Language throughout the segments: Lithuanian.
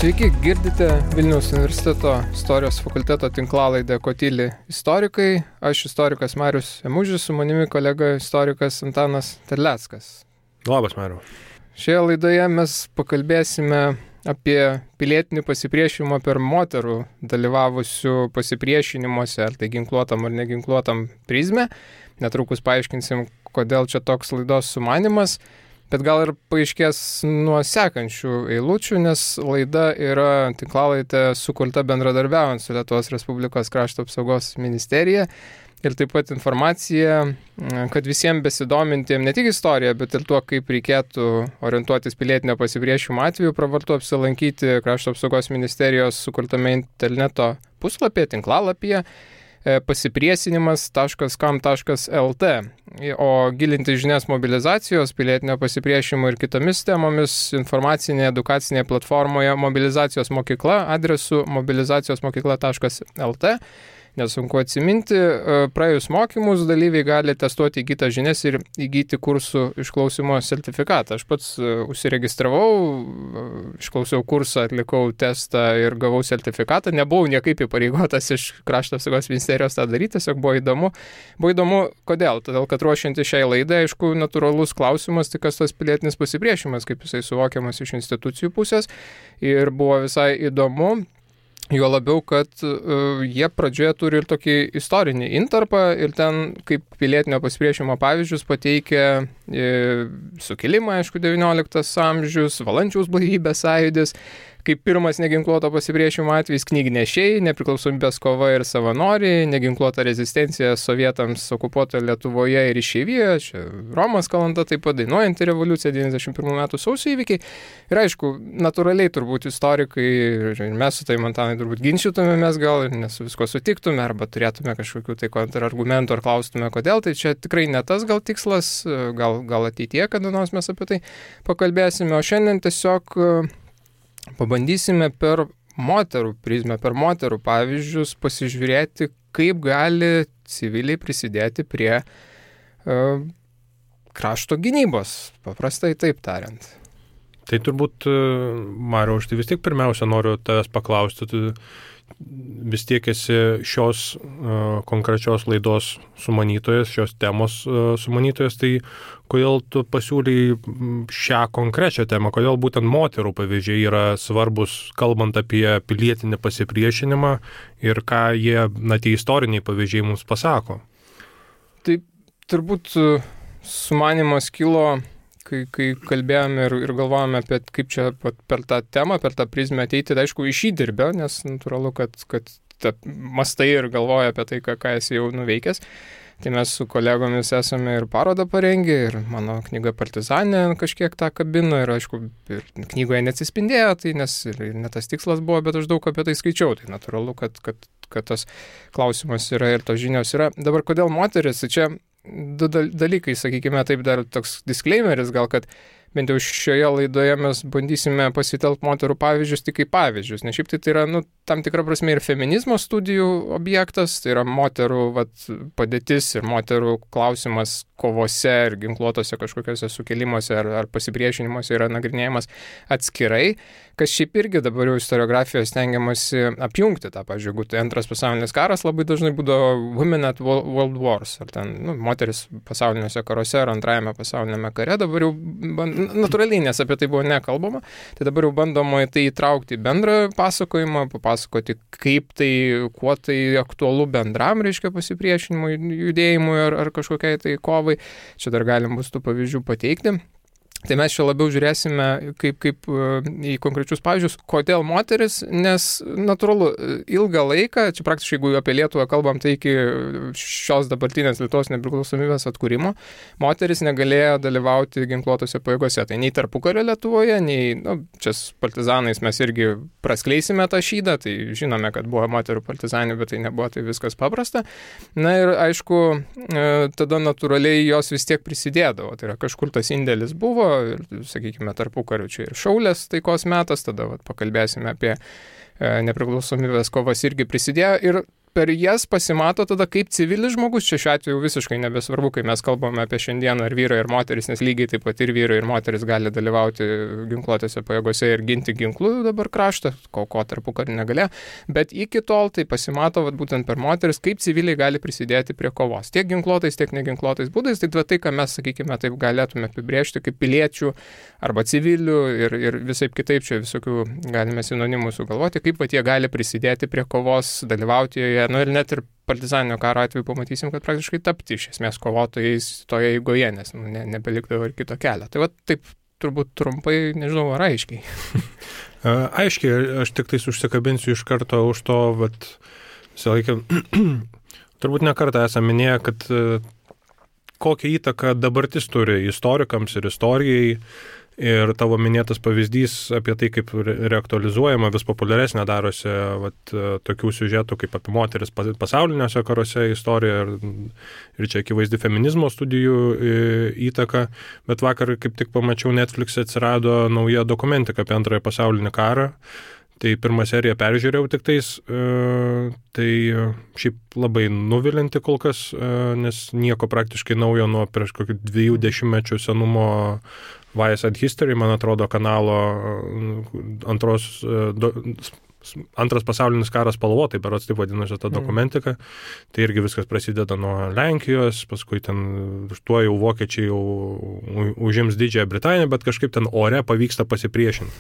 Sveiki, girdite Vilniaus universiteto istorijos fakulteto tinklalaidę Kotylį istorikai. Aš istorikas Marius Emužis, su manimi kolega istorikas Antanas Terleckas. Labas, Mariu. Šioje laidoje mes pakalbėsime apie pilietinį pasipriešinimą per moterų dalyvavusių pasipriešinimuose, ar tai ginkluotam ar neginkluotam prizmę. Netrukus paaiškinsim, kodėl čia toks laidos sumanimas. Bet gal ir paaiškės nuo sekančių eilučių, nes laida yra tinklalaidė sukurta bendradarbiaujant su Lietuvos Respublikos krašto apsaugos ministerija. Ir taip pat informacija, kad visiems besidomintiems ne tik istorija, bet ir tuo, kaip reikėtų orientuotis pilietinio pasipriešinimo atveju, pravartu apsilankyti krašto apsaugos ministerijos sukurtame interneto puslapyje, tinklalapyje pasipriešinimas.kam.lt. O gilinti žinias mobilizacijos, pilietinio pasipriešinimo ir kitomis temomis informacinėje edukacinėje platformoje Mobilizacijos mokykla adresu mobilizacijosmokykla.lt. Nesunku atsiminti, praėjus mokymus dalyviai gali testuoti įgytas žinias ir įgyti kursų išklausimo sertifikatą. Aš pats užsiregistravau, išklausiau kursą, atlikau testą ir gavau sertifikatą. Nebuvau niekaip įpareigotas iš krašto apsaugos ministerijos tą daryti, tiesiog buvo įdomu. Buvo įdomu, kodėl? Todėl, kad ruošianti šiai laidai, aišku, natūralus klausimas, tai kas tas pilietinis pasipriešinimas, kaip jisai suvokiamas iš institucijų pusės. Ir buvo visai įdomu. Jo labiau, kad jie pradžioje turi ir tokį istorinį intarpą ir ten kaip pilietinio pasipriešinimo pavyzdžius pateikia sukilimą, aišku, 19 amžius, Valančiaus blaivybės sąjūdis, kaip pirmas neginkluoto pasipriešinimo atvejis knygnešiai, nepriklausomybės kova ir savanoriai, neginkluota rezistencija sovietams okupuotoje Lietuvoje ir išeivijoje, čia Romas Kalanta, taip pat dainuojanti revoliucija 91 metų sausio įvykiai. Ir aišku, natūraliai turbūt istorikai ir mes su tai Antanai turbūt ginčytumėmės gal ir nesu visko sutiktume, arba turėtume kažkokių tai kontrargumentų ar klaustume kodėl, tai čia tikrai ne tas gal tikslas, gal ateityje, kada nors mes apie tai pakalbėsime, o šiandien tiesiog pabandysime per moterų prizmę, per moterų pavyzdžius pasižiūrėti, kaip gali civiliai prisidėti prie krašto gynybos, paprastai taip tariant. Tai turbūt, Mariau, aš tai vis tiek pirmiausia noriu tavęs paklausti, tu vis tiek esi šios konkrečios laidos sumanytojas, šios temos sumanytojas, tai kodėl tu pasiūlai šią konkrečią temą, kodėl būtent moterų pavyzdžiai yra svarbus, kalbant apie pilietinį pasipriešinimą ir ką jie, tie istoriniai pavyzdžiai mums pasako? Tai turbūt sumanymas kilo, kai kalbėjome ir galvojame apie kaip čia per tą temą, per tą prizmę ateiti, tai aišku, iš įdirbio, nes natūralu, kad mastai ir galvoja apie tai, ką esi jau nuveikęs. Tai mes su kolegomis esame ir parodą parengę, ir mano knyga Partizanė kažkiek tą kabino, ir aišku, ir knygoje neatsispindėjo, tai nes ir ne tas tikslas buvo, bet aš daug apie tai skaičiau, tai natūralu, kad tas klausimas yra ir tos žinios yra. Dabar kodėl moteris, tai čia du dalykai, sakykime, taip dar toks disclaimeris gal, kad bent jau šioje laidoje mes bandysime pasitelkti moterų pavyzdžius tik kaip pavyzdžius, nes šiaip tai yra, tam tikra prasme ir feminizmo studijų objektas, tai yra moterų padėtis ir moterų klausimas kovose ir ginkluotose kažkokiuose sukilimuose ar pasipriešinimuose yra nagrinėjimas atskirai, kas šiaip irgi dabar jau istoriografijoje stengiamasi apjungti tą, pavyzdžiui, jeigu tai antras pasaulinis karas, labai dažnai būdavo women at world wars, ar ten moteris pasauliniuose karuose ar antrajame pasaulinėme kare, dabar jau natūraliai, nes apie tai buvo nekalbama, tai dabar jau bandoma į tai įtraukti į bendrą pasakojimą, papasakoti, kaip tai, kuo tai aktualu bendram, reiškia, pasipriešinimui, judėjimui ar kažkokiai tai kovai. Čia dar galim bus tų pavyzdžių pateikti. Tai mes čia labiau žiūrėsime kaip į konkrečius pavyzdžius, kodėl moteris, nes natūralu, ilgą laiką, čia praktiškai jeigu apie Lietuvą kalbam, tai iki šios dabartinės Lietuvos nepriklausomybės atkūrimo, moteris negalėjo dalyvauti ginkluotose pajėgose. Tai nei tarpukario Lietuvoje, nei, čia su partizanais mes irgi praskleisime tą šydą, tai žinome, kad buvo moterų partizanių, bet tai nebuvo tai viskas paprasta. Na ir aišku, tada natūraliai jos vis tiek prisidėdavo, tai yra kažkur tas indėlis buvo, ir, sakykime, tarpukariu čia ir šaulės taikos metas, tada pakalbėsime apie nepriklausomybės kovas irgi prisidėjo ir per jas pasimato tada, kaip civilis žmogus, čia šiuo atveju visiškai nebesvarbu, kai mes kalbame apie šiandieną ar vyrai ir moteris, nes lygiai taip pat ir vyrai ir moteris gali dalyvauti ginkluotėse pajėgose ir ginti ginklų dabar kraštą, ko tarpukarį negalėjo, bet iki tol tai pasimato būtent per moteris, kaip civiliai gali prisidėti prie kovos. Tiek ginkluotais, tiek neginkluotais būdais, tai ką mes, sakykime, taip galėtume apibrėžti kaip piliečių arba civilių ir visaip kitaip čia visokių galime sinonimų sugalvoti, kaip jie gali prisidėti prie kovos, dalyvauti joje. Ir net ir partizaninio karo atveju pamatysim, kad praktiškai tapti iš esmės kovotojais toje eigoje, nes nebelikdavo ir kito kelio. Tai taip turbūt trumpai, nežinau, ar aiškiai. Aiškiai, aš tik tais užsikabinsiu iš karto už to, visą laiką, turbūt ne kartą esame minėję, kad kokią įtaką dabartis turi istorikams ir istorijai. Ir tavo minėtas pavyzdys apie tai, kaip reaktualizuojama, vis populiaresnė darosi tokių siužetų kaip apie moteris pasauliniuose karuose istorija ir čia akivaizdi feminizmo studijų įtaka. Bet vakar kaip tik pamačiau Netflix'e atsirado nauja dokumentika apie Antrąjį pasaulinį karą. Tai pirmą seriją peržiūrėjau tik tais, tai šiaip labai nuvilinti kol kas, nes nieko praktiškai naujo nuo prieš kokių 20 senumo Vice and History, man atrodo, kanalo Antras pasaulinis karas spalvotai, berods taip vadinasi ta dokumentika. Tai irgi viskas prasideda nuo Lenkijos, paskui ten tuo jau vokiečiai jau užims Didžiąją Britaniją, bet kažkaip ten ore pavyksta pasipriešinti.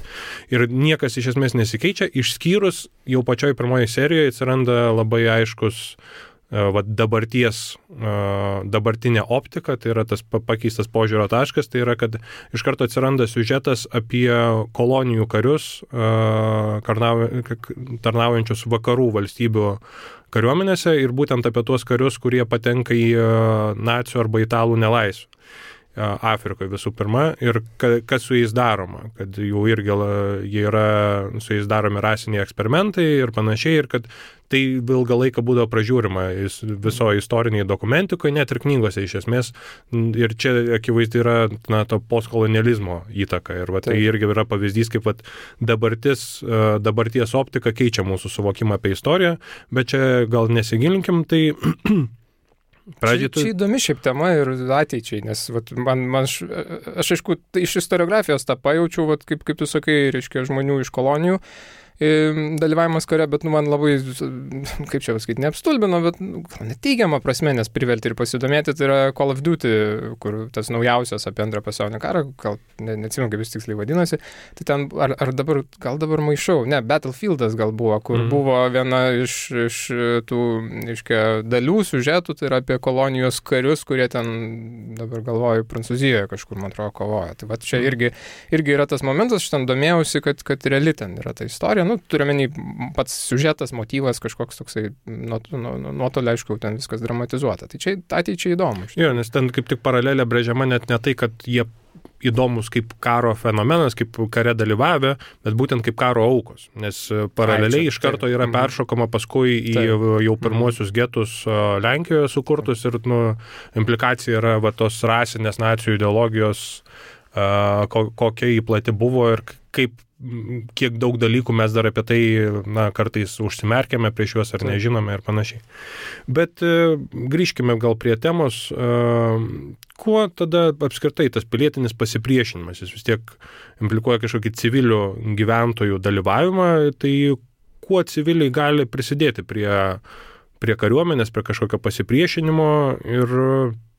Ir niekas iš esmės nesikeičia, išskyrus jau pačioj pirmoje serijoje atsiranda labai aiškus dabartinė optika, tai yra tas pakeistas požiūrio taškas, tai yra, kad iš karto atsiranda siužetas apie kolonijų karius, tarnaujančius vakarų valstybių kariuomenėse ir būtent apie tuos karius, kurie patenka į nacių arba italų nelaisvę. Afrikoje visų pirma ir kas su jais daroma, kad jau irgi jie yra su jais daromi rasiniai eksperimentai ir panašiai ir kad tai ilgą laiką būdavo pražiūrima viso istoriniai dokumentikoje, net ir knygose iš esmės ir čia akivaizdi yra to postkolonializmo įtaka ir tai irgi yra pavyzdys, kaip dabarties optika keičia mūsų suvokimą apie istoriją, bet čia gal nesigilinkim, tai Čia įdomi šiaip tema ir ateičiai, nes aš aišku, iš istoriografijos tą pajaučiau, kaip tu sakai, reiškia žmonių iš kolonijų dalyvavimas kare, bet man labai, kaip čia pasakyti, neapstulbino, bet neteigiamą prasme, nes privertė ir pasidomėti, tai yra Call of Duty, kur tas naujausias apie Antrą pasaulinį karą, gal neatsimenu, kaip jis tiksliai vadinasi, tai ten, gal dabar maišau, Battlefieldas gal buvo, kur buvo viena iš tų, reiškia, dalių siužetų, tai yra apie kolonijos karius, kurie ten, dabar galvoju, Prancūzijoje kažkur, man atrodo, kovoja. Tai čia irgi yra tas momentas, aš ten domėjausi, kad reali ten yra ta istorija. Turiuomenį pats siužetas, motyvas, kažkoks toksai nuotolį, aišku, ten viskas dramatizuota. Tai čia ateičiai įdomu. Jo, nes ten kaip tik paralelė brėžiama net ne tai, kad jie įdomus kaip karo fenomenas, kaip kare dalyvavę, bet būtent kaip karo aukos. Nes paraleliai iš karto yra peršokama paskui į jau pirmuosius getus Lenkijoje sukurtus ir implikacija yra tos rasinės nacijų ideologijos, kokia įplati buvo ir kiek daug dalykų mes dar apie tai kartais užsimerkėme prieš juos ar nežinome ir panašiai. Bet grįžkime gal prie temos, kuo tada apskritai tas pilietinis pasipriešinimas, jis vis tiek implikuoja kažkokį civilių gyventojų dalyvavimą, tai kuo civiliai gali prisidėti prie kariuomenės, prie kažkokio pasipriešinimo ir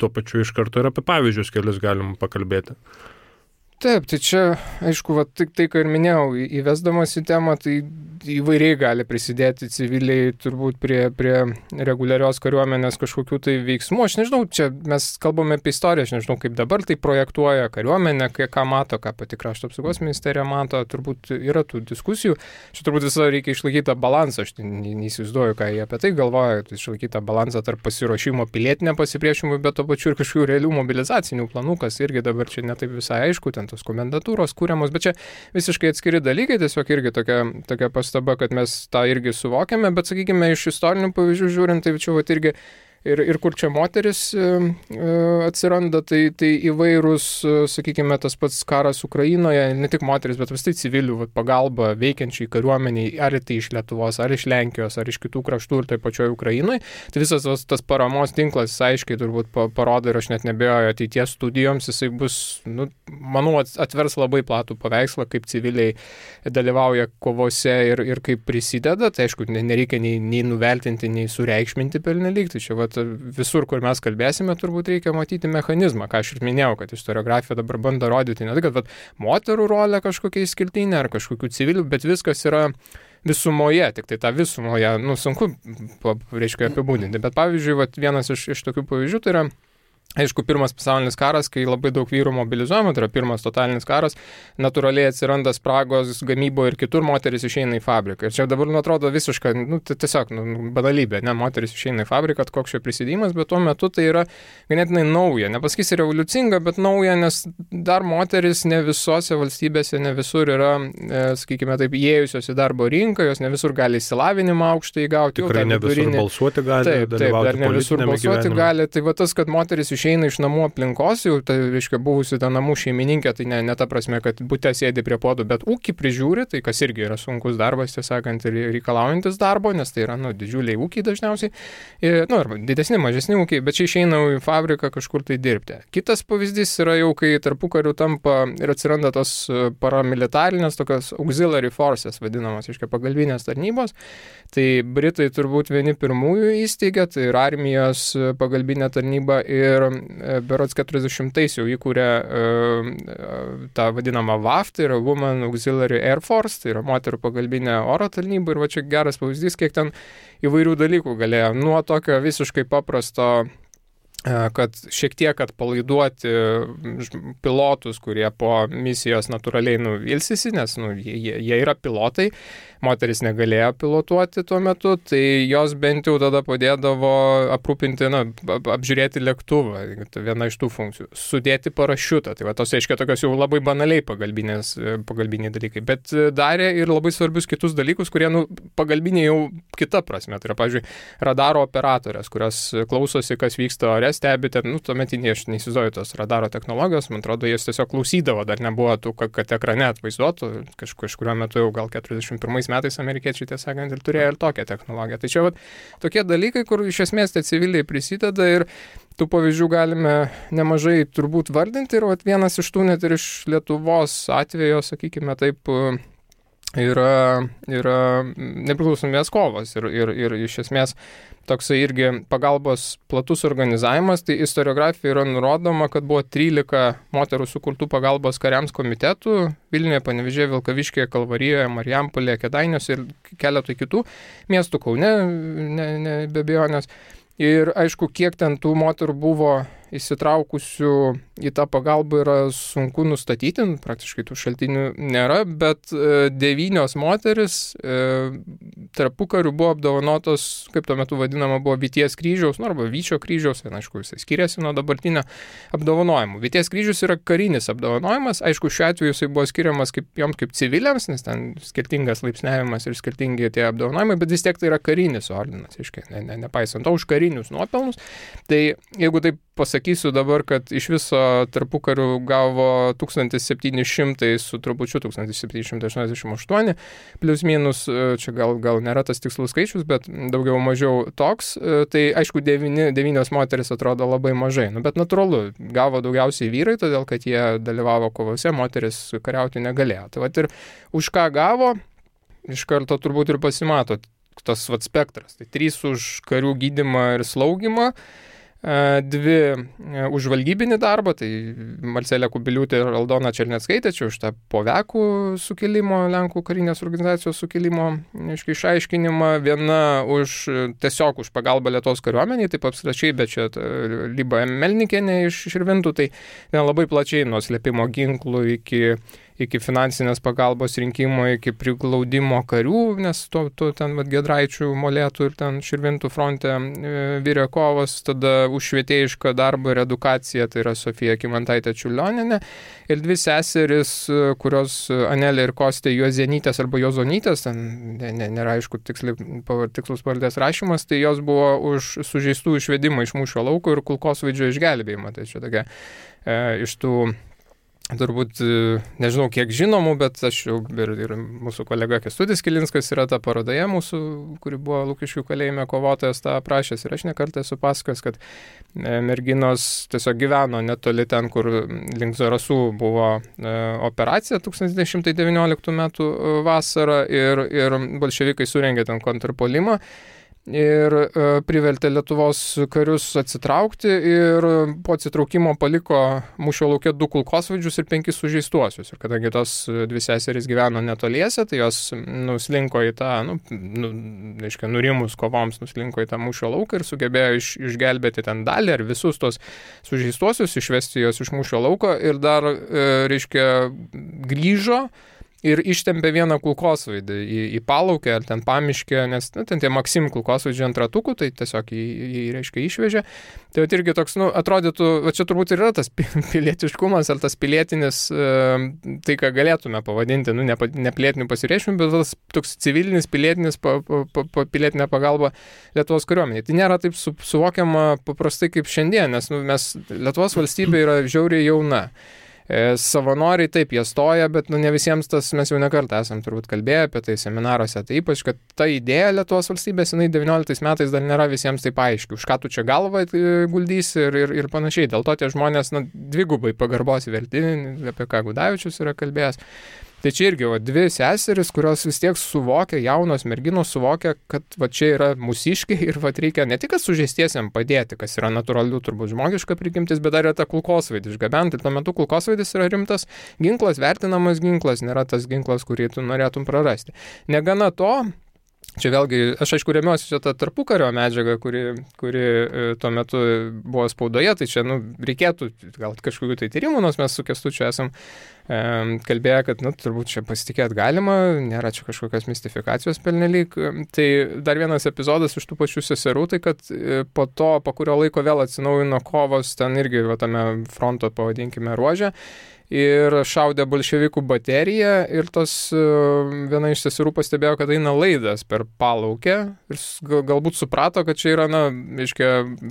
tuo pačiu iš karto ir apie pavyzdžius kelius galim pakalbėti. Taip, tai čia, aišku, tai, ką ir minėjau, įvesdamas į temą, tai įvairiai gali prisidėti civiliai turbūt prie reguliarios kariuomenės kažkokių tai veiksmų. Aš nežinau, čia mes kalbame apie istoriją, aš nežinau, kaip dabar tai projektuoja kariuomenė, ką mato, ką pati Krašto apsaugos ministerija mato, turbūt yra tų diskusijų. Čia turbūt visą reikia išlaikyti tą balansą, aš neįsivaizduoju, ką jie apie tai galvoja, išlaikyti tą balansą tarp pasiruošimo pilietinę pasipriešinimui, bet to pačiu ir kažkokių realių mobilizacinių planų, kas irgi dabar čia netaip visai aišku, ten tos komendatūros kūriamos, bet čia visiškai atskiri dalykai, tiesiog irgi tokia pastaba, kad mes tą irgi suvokiame, bet sakykime, iš istorinių pavyzdžių žiūrint, tai čia irgi Ir kur čia moteris atsiranda, tai įvairūs, sakykime, tas pats karas Ukrainoje, ne tik moteris, bet vis tai civilių pagalba veikiančiai kariuomeniai, ar tai iš Lietuvos, ar iš Lenkijos, ar iš kitų kraštų ir taip pačioje Ukrainoje. Tai visas tas paramos tinklas aiškiai turbūt parodo ir aš net nebejoju ateities studijoms, jisai bus, manau, atvers labai platų paveikslą, kaip civiliai dalyvauja kovose ir kaip prisideda. Tai aišku, nereikia nei nuvertinti, nei sureikšminti pernelyg. Tai čia visur, kur mes kalbėsime, turbūt reikia matyti mechanizmą, ką aš ir minėjau, kad istoriografija dabar bando rodyti ne tai, kad moterų rolė kažkokia išskirtinė ar kažkokių civilių, bet viskas yra visumoje, tik tai tą visumoje, sunku, reiškia, apibūdinti. Bet pavyzdžiui, vienas iš tokių pavyzdžių tai yra, aišku, pirmas pasaulinis karas, kai labai daug vyrų mobilizuojama, tai yra pirmas totalinis karas, natūraliai atsiranda spragos gamyboje ir kitur, moteris išeina į fabriką. Ir čia dabar atrodo visiška, tiesiog banalybė, moteris išeina į fabriką, koks čia prisidėjimas, bet tuo metu tai yra ganėtinai nauja, nepasakysi revoliucinga, bet nauja, nes dar moteris ne visose valstybėse, ne visur yra, sakykime taip, įėjusios į darbo rinką, jos ne visur gali išsilavinimą aukštą įgauti. Tikrai ne visur balsuoti gali, dalyvauti politinėme gyvenime. Tai tas, kad moteris išeina iš namų aplinkos, jau tai, reiškia, buvusi ta namų šeimininkė, tai ne ta prasme, kad bute sėdi prie podų, bet ūkį prižiūri, tai kas irgi yra sunkus darbas, tiesąkant, ir reikalaujantis darbo, nes tai yra, didžiuliai ūkiai dažniausiai, arba didesni, mažesni ūkiai, bet čia išeina į fabriką kažkur tai dirbti. Kitas pavyzdys yra jau, kai tarpukariu tampa ir atsiranda tos paramilitarinės, tokios auxiliary forces, vadinamos, reiškia, pagalbinės tarnybos. Tai Britai turbūt vieni pirmųjų įsteigė, tai ir armijos pagalbinė tarnyba ir berods 40-ais jau įkūrė tą vadinamą WAF, tai yra Women Auxiliary Air Force, tai yra moterų pagalbinė oro tarnyba, ir čia geras pavyzdys, kiek ten įvairių dalykų galėjo. Nuo tokio visiškai paprasto, kad šiek tiek atpalaiduoti pilotus, kurie po misijos natūraliai ilsisi, nes jie yra pilotai, moteris negalėjo pilotuoti tuo metu, tai jos bent jau tada padėdavo aprūpinti, apžiūrėti lėktuvą, tai viena iš tų funkcijų, sudėti parašiutą, tai tos aiškiai tokios jau labai banaliai pagalbiniai dalykai, bet darė ir labai svarbius kitus dalykus, kurie pagalbiniai jau kita prasme, tai yra, pavyzdžiui, radaro operatorės, kurios klausosi, kas vyksta ore, stebite, tuometinė, aš neįsivaizduoju tos radaro technologijos, man atrodo, jas tiesiog klausydavo, dar nebuvo tų, kad ekrane atvaizduotų, kažkuriuo metu jau gal 41 metais amerikiečiai, tiesą sakant, ir turėjo ir tokią technologiją. Tai čia tokie dalykai, kur iš esmės tie civiliai prisideda, ir tų pavyzdžių galime nemažai turbūt vardinti, ir vienas iš tų net ir iš Lietuvos atvejo, sakykime taip, yra nepriklausomybės kovos ir iš esmės toksai irgi pagalbos platus organizavimas. Tai istoriografijoje yra nurodoma, kad buvo 13 moterų sukurtų pagalbos kariams komitetų Vilniuje, Panevėžyje, Vilkaviškyje, Kalvarijoje, Marijampolėje, Kėdainiuose ir keletui kitų miestų, Kaune, be abejonės. Ir aišku, kiek ten tų moterų buvo įsitraukusių į tą pagalbą yra sunku nustatyti, praktiškai tų šaltinių nėra, bet 9 moteris tarpukariu buvo apdovanotos, kaip tuo metu vadinama, buvo Vyties kryžiaus, arba Vyčio kryžiaus, aišku, jisai skiriasi nuo dabartinio apdovanojimų. Vyties kryžius yra karinis apdovanojimas, aišku, šiuo atveju jisai buvo skiriamas joms kaip civiliams, nes ten skirtingas laipsniavimas ir skirtingi tie apdovanojimai, bet vis tiek tai yra karinis ordinas, nepaisant to už karinius nuopelnus. Tai jeigu taip pasakysiu dabar, kad iš viso tarpukariu gavo 1700 su trupučiu 1788, plius minus, čia gal nėra tas tikslus skaičius, bet daugiau mažiau toks, tai aišku 9 moteris atrodo labai mažai, bet natūralu, gavo daugiausiai vyrai, todėl kad jie dalyvavo kovose, moteris kariauti negalėjo. Tai ir už ką gavo, iš karto turbūt ir pasimato tas spektras. Tai 3 už karių gydymą ir slaugymą, 2 už žvalgybinį darbą, tai Marcelė Kubiliūtė ir Aldona Černeckaitė, čia už tą povekų sukilimo, Lenkų karinės organizacijos sukilimo išaiškinimą, 1 tiesiog už pagalbą Lietuvos kariuomeniai, taip apskritai, bet čia Lyba Melnikienė iš Širvintų, tai labai plačiai nuo slėpimo ginklų iki iki finansinės pagalbos rinkimo, iki priglaudimo karių, nes to ten Giedraičių, Molėtų ir ten Širvintų fronte virė kovos, tada už švietėjišką darbą ir edukaciją, tai yra Sofija Kymantaitė Čiurlionienė, ir dvi seseris, kurios Anelė ir Kostė Juozėnytės arba Juozonytės, ten nėra aišku tikslus pavardės rašymas, tai jos buvo už sužeistų išvedimą iš mūšio lauko ir kulkosvaidžio išgelbėjimą. Tai čia tokia iš tų turbūt, nežinau kiek žinomų, bet aš jau ir mūsų kolega Kęstutis Kilinskas yra ta parodoje mūsų, kuri buvo Lukiškių kalėjime kovotojas, tą aprašęs ir aš nekartą esu pasakojęs, kad merginos tiesiog gyveno netoli ten, kur link Zarasų buvo operacija 1919 metų vasarą ir bolševikai surengė ten kontrpuolimą. Ir privertė Lietuvos karius atsitraukti ir po atsitraukimo paliko mūšio lauke 2 kulkosvaidžius ir 5 sužeistuosius. Ir kadangi tos dvi seserys gyveno netoliese, tai jos nuslinko į tą, nurimus kovoms, nuslinko į tą mūšio lauką ir sugebėjo išgelbėti ten dalį ar visus tos sužeistuosius, išvesti juos iš mūšio lauko ir dar, grįžo ir ištempė vieną kulkosvaidį į Palaukę ar ten Pamiškę, nes ten tie Maksim kulkosvaidžiai ant ratukų, tai tiesiog jį išvežė. Tai irgi toks, atrodytų, čia turbūt ir yra tas pilietiškumas ar tas pilietinis, tai ką galėtume pavadinti, ne pilietiniu pasireiškinimu, bet tas toks civilinis, pilietinis, pilietinė pagalba Lietuvos kariuomeniai. Tai nėra taip suvokiama paprastai kaip šiandien, nes mes Lietuvos valstybė yra žiauriai jauna. Savanoriai taip, jie stoja, bet ne visiems tas, mes jau nekartą esam turbūt kalbėję apie tai seminaruose, tai ypač, kad ta idėja Lietuvos valstybės, jinai 19 metais dar nėra visiems taip aiški, už ką tu čia galvą guldysi ir panašiai. Dėl to tie žmonės dvigubai pagarbos verti, apie ką Gudavičius yra kalbėjęs. Tai čia irgi dvi seseris, kurios vis tiek suvokia, jaunos merginos suvokia, kad čia yra mūsiškiai ir reikia ne tik sužeistiesiam padėti, kas yra natūralių turbūt žmogiška prigimtis, bet dar yra ta kulkosvaidį išgabenti. Ir tuo metu kulkosvaidis yra rimtas ginklas, vertinamas ginklas, nėra tas ginklas, kurį tu norėtum prarasti. Negana to, čia vėlgi, aš aišku remiuosi čia tą tarpukario medžiagą, kuri tuo metu buvo spaudoje, tai čia reikėtų gal kažkokių tai tyrimų, nors mes su Kęstučiu esam kalbėję, kad turbūt čia pasitikėti galima, nėra čia kažkokios mistifikacijos pernelyg. Tai dar vienas epizodas iš tų pačių seserų, tai kad po kurio laiko vėl atsinaujino kovos ten irgi tame fronto, pavadinkime, ruože. Ir šaudė bolševikų bateriją ir viena iš seserų pastebėjo, kad eina laidas per Palaukę ir galbūt suprato, kad čia yra,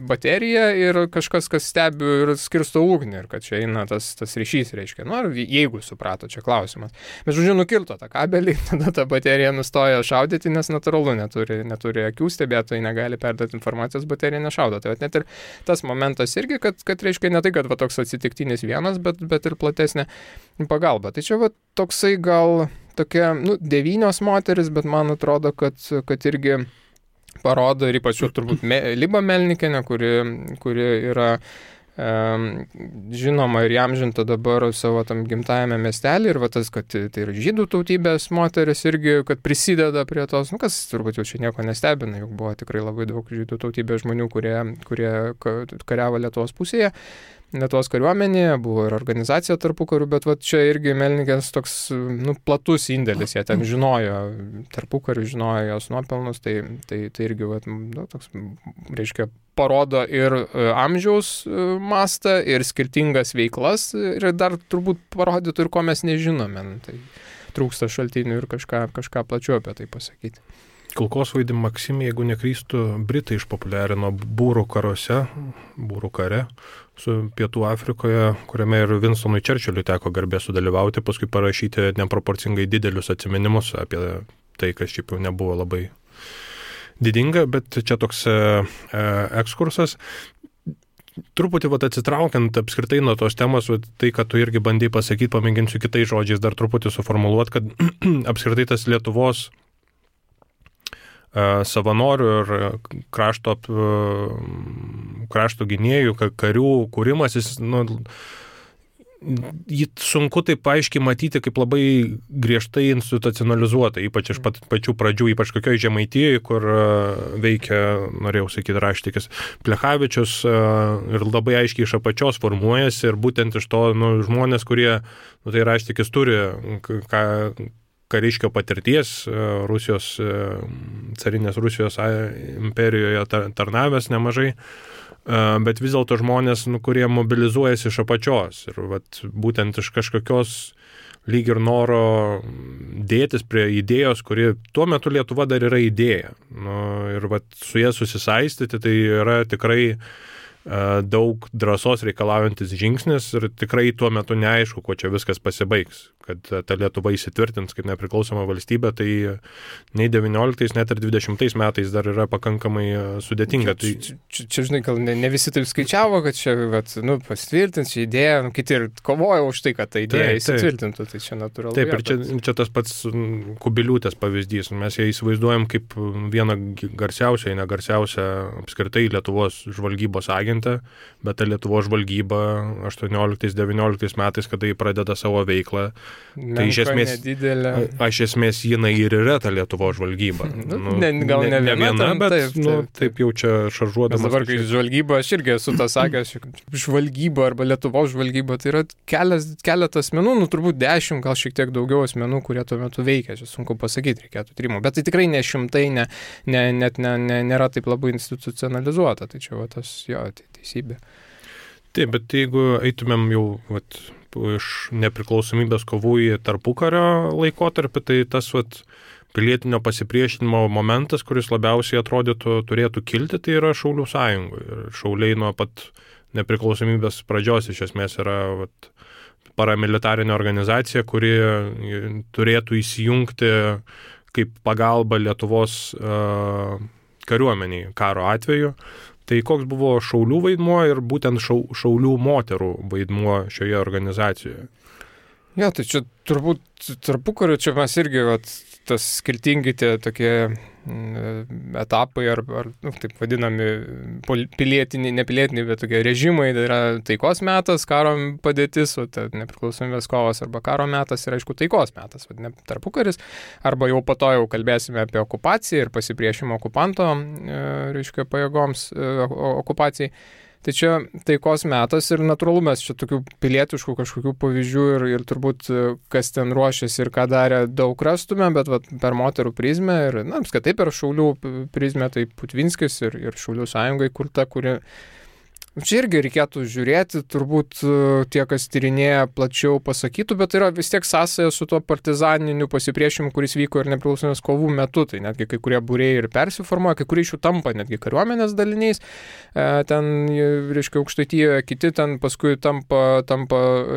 baterija ir kažkas, kas stebi ir skirsto ugnį ir kad čia eina tas ryšys, jeigu suprato, čia klausimas. Bet žodžiu, nukirto tą kabelį, tada ta baterija nustojo šaudyti, nes natūralu neturi akių, stebėtojai negali perduoti informacijos, baterija nešaudo. Tai net ir tas momentas irgi, kad ne tai, kad toks atsitiktinis vienas, bet ir platesnė pagalba. Tai čia toksai gal tokia, 9 moteris, bet man atrodo, kad irgi parodo ir ypač turbūt Liba Melnikienė, kuri yra žinoma ir įamžinta dabar savo tam gimtajame miestelį ir tas, kad tai yra žydų tautybės moteris irgi, kad prisideda prie tos, kas turbūt jau čia nieko nestebina, juk buvo tikrai labai daug žydų tautybės žmonių, kurie kariavo Lietuvos pusėje. Lietuvos kariuomenėje, buvo ir organizacija tarpukariu, bet čia irgi Melnikės toks platus indėlis, jie ten žinojo, tarpukariu žinojo jos nuopelnus, tai irgi toks, parodo ir amžiaus mastą, ir skirtingas veiklas, ir dar turbūt parodytų ir ko mes nežinome. Tai trūksta šaltinių ir kažką plačiau apie tai pasakyti. Kulkosvaidį Maksim, jeigu neklystų, Britai išpopuliarino būrų kare su Pietų Afrikoje, kuriame ir Winstonui Churchillui teko garbė sudalyvauti, paskui parašyti neproporcingai didelius atsiminimus apie tai, kas šiaip jau nebuvo labai didinga, bet čia toks ekskursas. Truputį atsitraukiant apskritai nuo tos temos, tai, kad tu irgi bandai pasakyti, pamėginsiu kitais žodžiais dar truputį suformuluoti, kad apskritai tas Lietuvos savanorių ir krašto gynėjų, karių kūrimas, jis jį sunku taip aiškiai matyti kaip labai griežtai institucionalizuota, ypač iš pačių pradžių, ypač kokioje Žemaitijoje, kur veikia, norėjau sakyti, raštikis Plechavičius ir labai aiškiai iš apačios formuojasi ir būtent iš to žmonės, kurie, tai raštikis turi kariškio patirties Rusijos, carinės Rusijos imperijoje tarnavęs nemažai, bet vis dėlto žmonės, kurie mobilizuojasi iš apačios ir būtent iš kažkokios lyg ir noro dėtis prie idėjos, kuri tuo metu Lietuva dar yra idėja. Ir su jie susisaistyti, tai yra tikrai daug drąsos reikalaujantis žingsnis ir tikrai tuo metu neaišku, kuo čia viskas pasibaigs. Kad ta Lietuva įsitvirtins kaip nepriklausoma valstybė, tai nei 19, net ir 20 metais dar yra pakankamai sudėtinga. Čia žinai, gal ne visi taip skaičiavo, kad čia pasitvirtins šią idėją, kiti ir kovojo už tai, kad ta idėja įsitvirtintų, tai čia natūralu. Taip, ir čia tas pats Kubiliūtės pavyzdys. Mes ją įsivaizduojam kaip vieną garsiausią, negarsiausią apskritai Lietuvos žvalgybos agentą, bet ta Lietuvos žvalgyba 18-19 metais, kada jį pradeda savo veiklą, tai iš esmės jinai ir yra ta Lietuvos žvalgyba. Gal ne viena, bet taip jau čia šaržuodamas. Dabar, kai žvalgyba, aš irgi esu tą sakęs, žvalgyba arba Lietuvos žvalgyba, tai yra keletas asmenų, turbūt 10, gal šiek tiek daugiau asmenų, kurie tuo metu veikia, čia sunku pasakyti, reikėtų tyrimų, bet tai tikrai ne šimtai, net nėra taip labai institucionalizuota, tai čia tai teisybė. Taip, bet jeigu eitumėm jau iš nepriklausomybės kovų į tarpukario laikotarpį, tai tas pilietinio pasipriešinimo momentas, kuris labiausiai atrodytų turėtų kilti, tai yra Šaulių sąjungų. Ir šauliai nuo pat nepriklausomybės pradžios iš esmės yra paramilitarinė organizacija, kuri turėtų įsijungti kaip pagalba Lietuvos kariuomeniai karo atveju. Tai koks buvo šaulių vaidmuo ir būtent šaulių moterų vaidmuo šioje organizacijoje? Ja, tai čia turbūt tarpukariu, čia mes irgi tas skirtingi tie tokie etapai ar taip vadinami pilietiniai, nepilietiniai, bet tokie režimai, tai yra taikos metas, karo padėtis, nepriklausomybės kovos arba karo metas ir aišku taikos metas, tarpukaris, arba jau po to jau kalbėsime apie okupaciją ir pasipriešimą okupanto, reiškia, pajėgoms okupacijai. Tai čia taikos metas ir natūralu mes čia tokių pilietiškų kažkokių pavyzdžių ir turbūt kas ten ruošiasi ir ką darė daug rastume, bet per moterų prizmę ir, apskritai per Šaulių prizmę, tai Putvinskis ir Šaulių sąjungai kurta, kuri... Čia irgi reikėtų žiūrėti, turbūt tie, kas tyrinėja plačiau pasakytų, bet tai yra vis tiek sąsaja su tuo partizaniniu pasipriešimu, kuris vyko ir nepriklausomybės kovų metu. Tai netgi kai kurie būriai ir persiformuoja, kai kurie iš jų tampa netgi kariuomenės daliniais. Ten, reiškia, Aukštaitijoje, kiti ten paskui tampa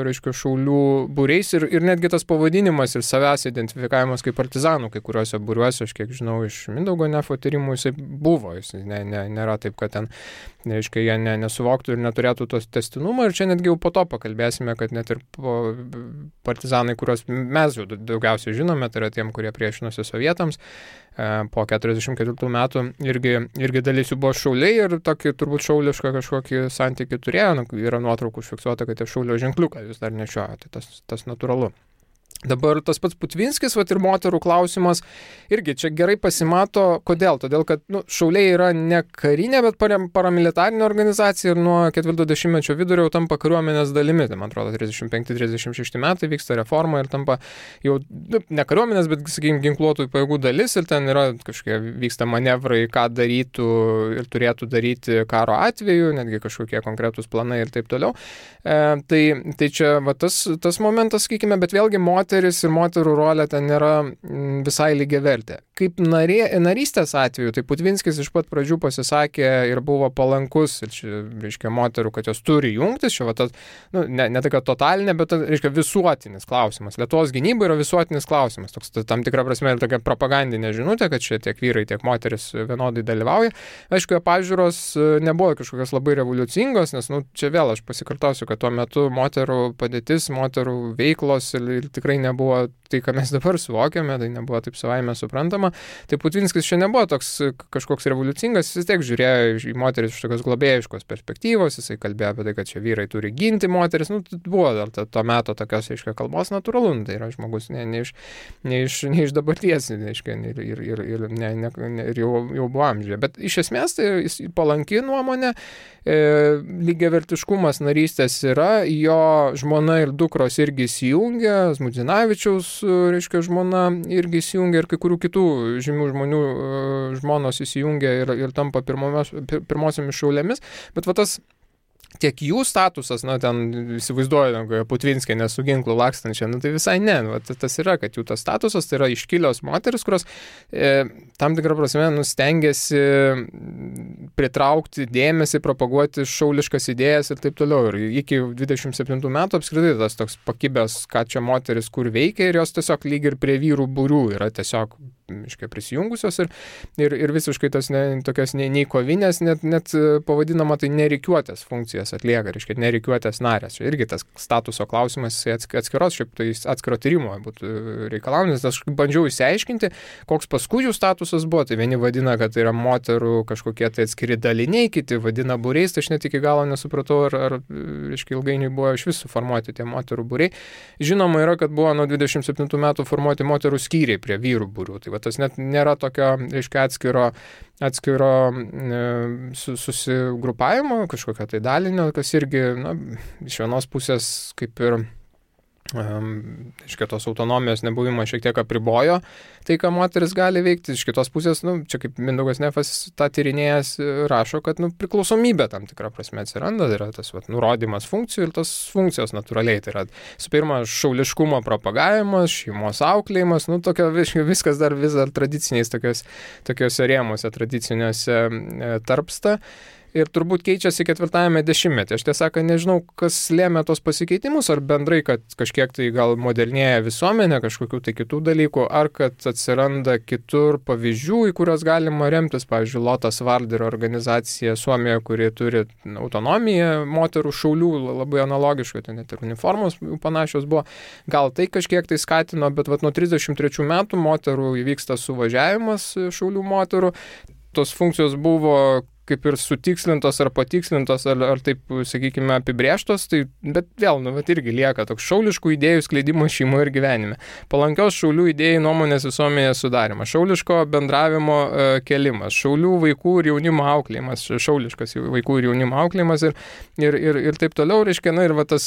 reiškia, Šaulių būriais ir netgi tas pavadinimas ir savęs identifikavimas kaip partizanų, kai kuriuose būriuose, aš kiek žinau, iš Mindaugo Nefo tyrimų jisai buvo. Jis nėra taip, kad ten, reiškia, jie nesuvoktų ir neturėtų tos testinumą. Ir čia netgi jau po to pakalbėsime, kad net ir partizanai, kuriuos mes jau daugiausiai žinome, tai yra tiem, kurie priešinosi sovietams, po 44 metų irgi dalis jų buvo šauliai ir tokį turbūt šaulišką kažkokį santykį turėjo. Yra nuotraukų užfiksuota, kad tie šaulio ženkliuką vis dar nešioja, tai tas natūralu. Dabar tas pats Putvinskis, ir moterų klausimas, irgi čia gerai pasimato, kodėl? Todėl, kad šauliai yra ne karinė, bet paramilitarinė organizacija ir nuo 40-mečio vidurio jau tampa kariuomenės dalimi. Tai, man atrodo, 35-36 metai vyksta reforma ir tampa jau ne kariuomenės, bet, sakykime, ginkluotųjų pajėgų dalis ir ten yra kažkokie vyksta manevrai, ką darytų ir turėtų daryti karo atveju, netgi kažkokie konkretūs planai ir taip toliau. Tai čia tas momentas, sakykime, bet vėlgi moteris ir moterų rolė ten nėra visai lygiavertė. Kaip narystės atveju, tai Putvinskis iš pat pradžių pasisakė ir buvo palankus, ir čia, reiškia, moterų, kad jos turi jungtis, čia ne tai, kad totalinė, bet, reiškia, visuotinis klausimas. Lietuvos gynyba yra visuotinis klausimas. Toks tam tikra prasme ir tokia propagandinė žinutė, kad čia tiek vyrai, tiek moteris vienodai dalyvauja. Aišku, pažiūros nebuvo kažkokios labai revoliucingos, nes, čia vėl aš pasikartosiu, kad tuo metu moterų padėtis, moterų veiklos ir tikrai nebuvo tai, ką mes dabar suvokiame, tai nebuvo taip savaime suprantama. Tai Putvinskis čia nebuvo toks kažkoks revoliucingas, jis tiek žiūrėjo į moteris iš tokios globėjiškos perspektyvos, jisai kalbėjo apie tai, kad čia vyrai turi ginti moteris, buvo dar to meto tokios, aiškiai, kalbos natūralu, tai yra žmogus ne iš dabarties, aiškiai, ir jau buvo amžiuje. Bet iš esmės tai jis palanki nuomonė, lygiavertiškumas narystės yra, jo žmona ir dukros irgi įsijungia, Zmudzinavičiaus, reiškia, žmona irgi įsijungia ir kai kurių kitų žymių žmonių žmonos įsijungia ir tampa pirmosiomis šaulėmis, bet va tas tiek jų statusas, ten įsivaizduoju, Putvinskė nesu ginklų lakstančia, tai visai ne, tas yra, kad jų tas statusas, tai yra iškilios moteris, kurios tam tikrą prasme stengiasi pritraukti dėmesį, propaguoti šauliškas idėjas ir taip toliau. Ir iki 27 metų apskritai tas toks pakibęs, ką čia moteris kur veikia ir jos tiesiog lyg ir prie vyrų būrių yra tiesiog prisijungusios ir visiškai tas tokios nei kovinės, net pavadinama tai nereikiuotės funkcijas atlieka, reiškia nereikiuotės narės. Čia irgi tas statuso klausimas atskiros, šiaip tai atskiro tyrimo būtų reikalaujantis. Aš bandžiau išsiaiškinti, koks paskui jų statusas buvo. Tai vieni vadina, kad tai yra moterų kažkokie tai atskiri daliniai, kiti vadina būriais, tai aš net iki galo nesupratau, ar reiškia, ilgainiui buvo iš visų formuoti tie moterų būriai. Žinoma yra, kad buvo nuo 27 metų formuoti moterų skyriai prie vyrų būrių. Tai tas net nėra tokio, reiškia, atskiro susigrupavimo, kažkokio tai dalinio, kas irgi, iš vienos pusės kaip ir iš kitos autonomijos nebuvimas šiek tiek apribojo tai, ką moteris gali veikti. Iš kitos pusės, čia kaip Mindaugas Nefas tą tyrinėjęs rašo, kad priklausomybė tam tikrą prasme atsiranda, tai yra tas nurodymas funkcijų ir tas funkcijos natūraliai. Tai yra, su pirma, šauliškumo propagavimas, šeimos auklėjimas, viskas dar vis dar tradiciniais tokiuose rėmuose, tradiciniuose tarpsta. Ir turbūt keičiasi 4-ame dešimtmetyje. Aš tiesą nežinau, kas lėmė tos pasikeitimus, ar bendrai, kad kažkiek tai gal modernėja visuomenė, kažkokių tai kitų dalykų, ar kad atsiranda kitur pavyzdžių, į kurios galima remtis. Pavyzdžiui, Lotas Varderio organizacija Suomijoje, kuri turi autonomiją moterų šaulių, labai analogiškai, tai net ir uniformos panašios buvo. Gal tai kažkiek tai skatino, bet nuo 33 metų moterų įvyksta suvažiavimas šaulių moterų. Tos funkcijos buvo kaip ir sutikslintos ar patikslintos, ar taip, sakykime, apibrėžtos, tai, bet vėl, irgi lieka toks šauliškų idėjų skleidimas šeimoje ir gyvenime. Palankios šaulių idėjų nuomonės visuomenėje sudarimas, šauliško bendravimo kelimas, šaulių vaikų ir jaunimo auklėjimas, šauliškas vaikų ir jaunimo auklėjimas ir taip toliau, reiškia, ir tas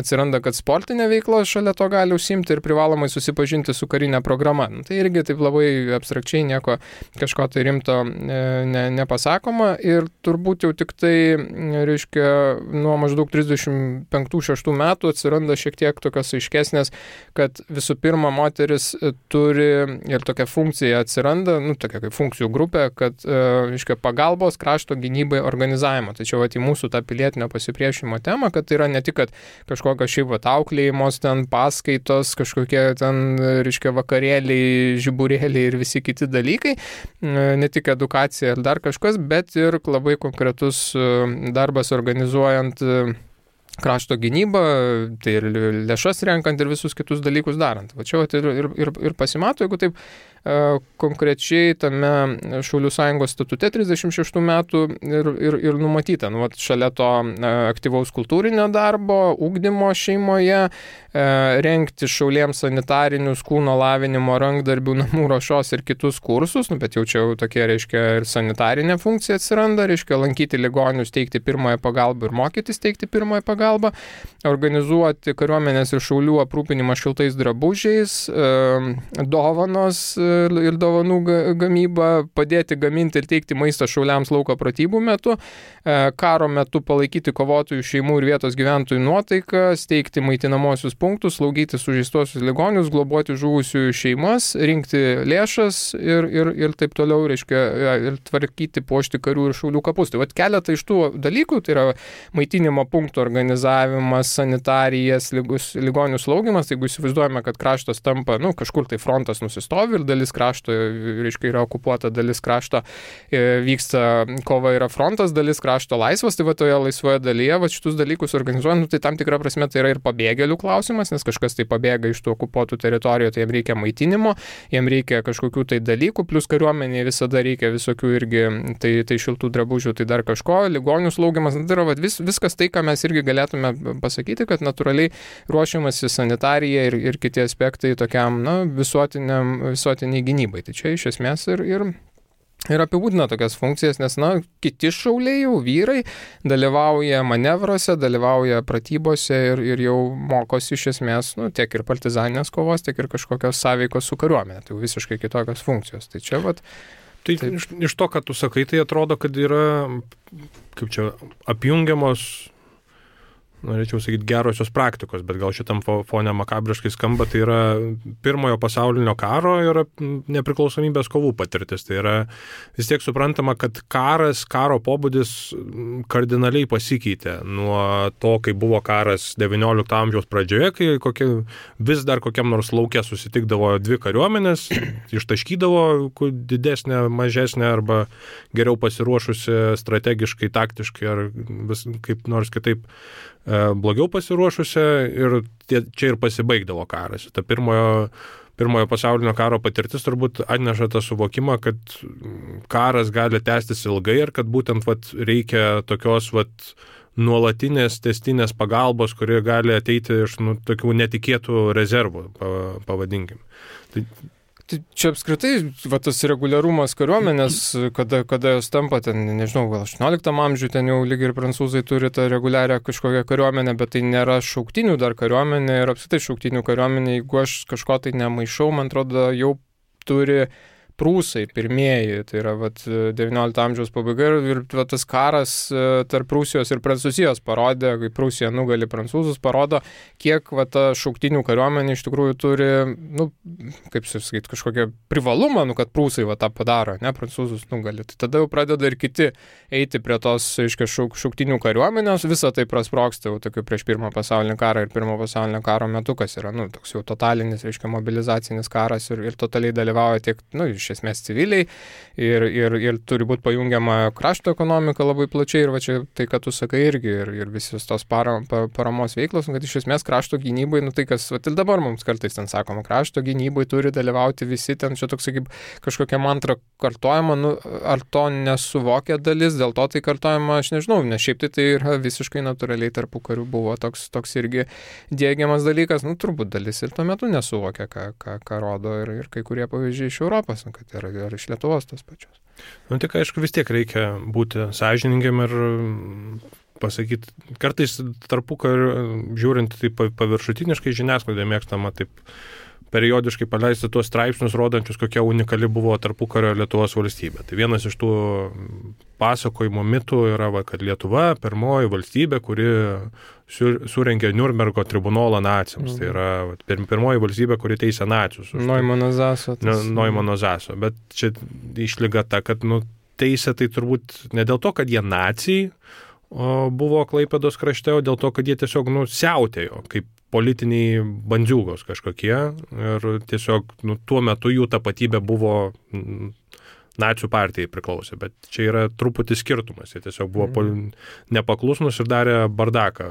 atsiranda, kad sportinė veikla šalia to gali užsiimti ir privalomai susipažinti su karinė programa. Tai irgi taip labai abstrakčiai nieko kažko tai rimto nepasakoma. Ir turbūt jau tik tai, reiškia, nuo maždaug 35-6 metų atsiranda šiek tiek tokios aiškesnės, kad visų pirma moteris turi ir tokia funkcija atsiranda, tokia kaip funkcijų grupė, kad, reiškia, pagalbos krašto gynybai organizavimo. Tačiau į mūsų tą pilietinio pasipriešinimo temą, kad tai yra ne tik, kad kažkokios šiaip auklėjimos, ten paskaitos, kažkokie ten, reiškia, vakarėliai, žiburėliai ir visi kiti dalykai, ne tik edukacija ir dar kažkas, bet ir labai konkretus darbas organizuojant krašto gynybą, tai ir lėšas renkant ir visus kitus dalykus darant. Va čia ir pasimato, jeigu taip konkrečiai tame Šaulių sąjungos statute 36 metų ir numatyta. Šalia to aktyvaus kultūrinio darbo, ugdymo šeimoje, rengti šauliems sanitarinius, kūno lavinimo, rankdarbių, namų ruošos ir kitus kursus, bet jau čia tokie, reiškia, ir sanitarinė funkcija atsiranda, reiškia, lankyti ligonius, teikti pirmąją pagalbą ir mokytis teikti pirmąją pagalbą, organizuoti kariuomenės ir šaulių aprūpinimą šiltais drabužiais, dovanos ir dovanų gamybą, padėti gaminti ir teikti maistą šauliams lauko pratybų metu, karo metu palaikyti kovotojų šeimų ir vietos gyventojų nuotaiką, steigti maitinamosius punktus, slaugyti sužeistuosius ligonius, globoti žuvusiųjų šeimas, rinkti lėšas ir taip toliau, reiškia, ir tvarkyti, puošti karių ir šaulių kapus. Tai keletą iš tų dalykų, tai yra maitinimo punktų organizavimas, sanitarijas, ligonių slaugimas. Jeigu įsivaizduojame, kad kraštas tampa, kažkur tai frontas nusistovi ir dalis dalis krašto, reiškia, yra okupuota dalis krašto, vyksta kova, yra frontas, dalis krašto laisvas, tai va toje laisvoje dalyje, va šitus dalykus organizuojant, tai tam tikra prasme tai yra ir pabėgėlių klausimas, nes kažkas tai pabėga iš tų okupuotų teritorijų, tai jiems reikia maitinimo, jiems reikia kažkokių tai dalykų, plus kariuomenėje visada reikia visokių irgi, tai šiltų drabužių, tai dar kažko, ligonių slaugimas, tai yra viskas tai, ką mes irgi galėtume pasakyti, kad natūraliai ruošiamasi sanitarija ir kiti aspektai tokiam, visuotiniai gynybai. Tai čia iš esmės ir apibūdina tokias funkcijas, nes, kiti šauliai jau vyrai dalyvauja manevruose, dalyvauja pratybose ir jau mokosi iš esmės, tiek ir partizaninės kovos, tiek ir kažkokios sąveikos su kariuomenė. Tai visiškai kitokios funkcijos. Tai čia Tai iš to, kad tu sakai, tai atrodo, kad yra, apjungiamos, norėčiau sakyti, gerosios praktikos, bet gal šitam fone makabriškai skamba, tai yra pirmojo pasaulinio karo ir nepriklausomybės kovų patirtis. Tai yra vis tiek suprantama, kad karo pobūdis kardinaliai pasikeitė nuo to, kai buvo karas XIX amžiaus pradžioje, kai vis dar kokiam nors lauke susitikdavo dvi kariuomenės, ištaškydavo didesnę, mažesnę arba geriau pasiruošusi strategiškai, taktiškai ar kaip nors kitaip blogiau pasiruošusi ir čia ir pasibaigdavo karas. Ta pirmojo pasaulinio karo patirtis turbūt atneša tą suvokimą, kad karas gali tęstis ilgai ir kad būtent reikia tokios nuolatinės testinės pagalbos, kuri gali ateiti iš tokių netikėtų rezervų, pavadinkim. Čia apskritai, tas reguliarumas kariuomenės, kada jos tampa ten, nežinau, gal 18 amžiuje ten jau lyg ir prancūzai turi tą reguliarią kažkokią kariuomenę, bet tai nėra šauktinių dar kariuomenė ir apskritai šauktinių kariuomenė, jeigu aš kažko tai nemaišau, man atrodo, jau turi prūsai pirmieji, tai yra XIX amžiaus pabaiga ir tas karas tarp Prūsijos ir Prancūzijos parodė, kai Prūsija nugali prancūzus, parodo, kiek ta šauktinių kariuomenė iš tikrųjų turi, kaip sakyti, kažkokią privalumą, kad prūsai tą padaro, ne, prancūzus nugali. Tai tada jau pradeda ir kiti eiti prie tos, aiškiai, šauktinių kariuomenės, visą tai prasprogsta jau tokiu prieš Pirmą pasaulinį karą ir Pirmo pasaulinio karo metu, kas yra, toks jau totalinis, aiškiai, mobilizacinis karas ir totaliai dalyvauja tiek, iš esmės civiliai ir turi būti pajungiama krašto ekonomika labai plačiai ir čia tai, kad tu sakai irgi ir visos tos paramos veiklos, kad iš esmės krašto gynybai, tai kas, ir dabar mums kartais ten sakoma, krašto gynybai turi dalyvauti visi, ten čia toks, kaip kažkokia mantra kartojama, ar to nesuvokia dalis, dėl to tai kartojama, aš nežinau, nes šiaip tai yra visiškai natūraliai tarpu karių buvo toks irgi diegiamas dalykas, turbūt dalis ir tuo metu nesuvokia, ką rodo ir kai kurie pavyzdžiai iš Europos, kad yra ir iš Lietuvos tos pačios. Tik aišku, vis tiek reikia būti sąžiningiam ir pasakyti, kartais tarpukariu žiūrint taip paviršutiniškai žiniasklaidoje mėgstama taip periodiškai paleisti tuos straipsnius, rodančius, kokia unikali buvo tarpukario Lietuvos valstybė. Tai vienas iš tų pasakojimo mitų yra, kad Lietuva pirmoji valstybė, kuri surengė Niurnbergo tribunolą naciams. Tai yra pirmoji valstybė, kuri teisė nacius. Neumanno Zaso. Neumanno Zaso. Bet čia išlyga ta, kad teisė tai turbūt ne dėl to, kad jie naciai buvo Klaipėdos krašte, o dėl to, kad jie tiesiog siautėjo, kaip politiniai bandziūgos kažkokie ir tiesiog tuo metu jų tapatybė buvo nacių partijai priklausė, bet čia yra truputį skirtumas. Jie tiesiog buvo nepaklusnus ir darė bardaką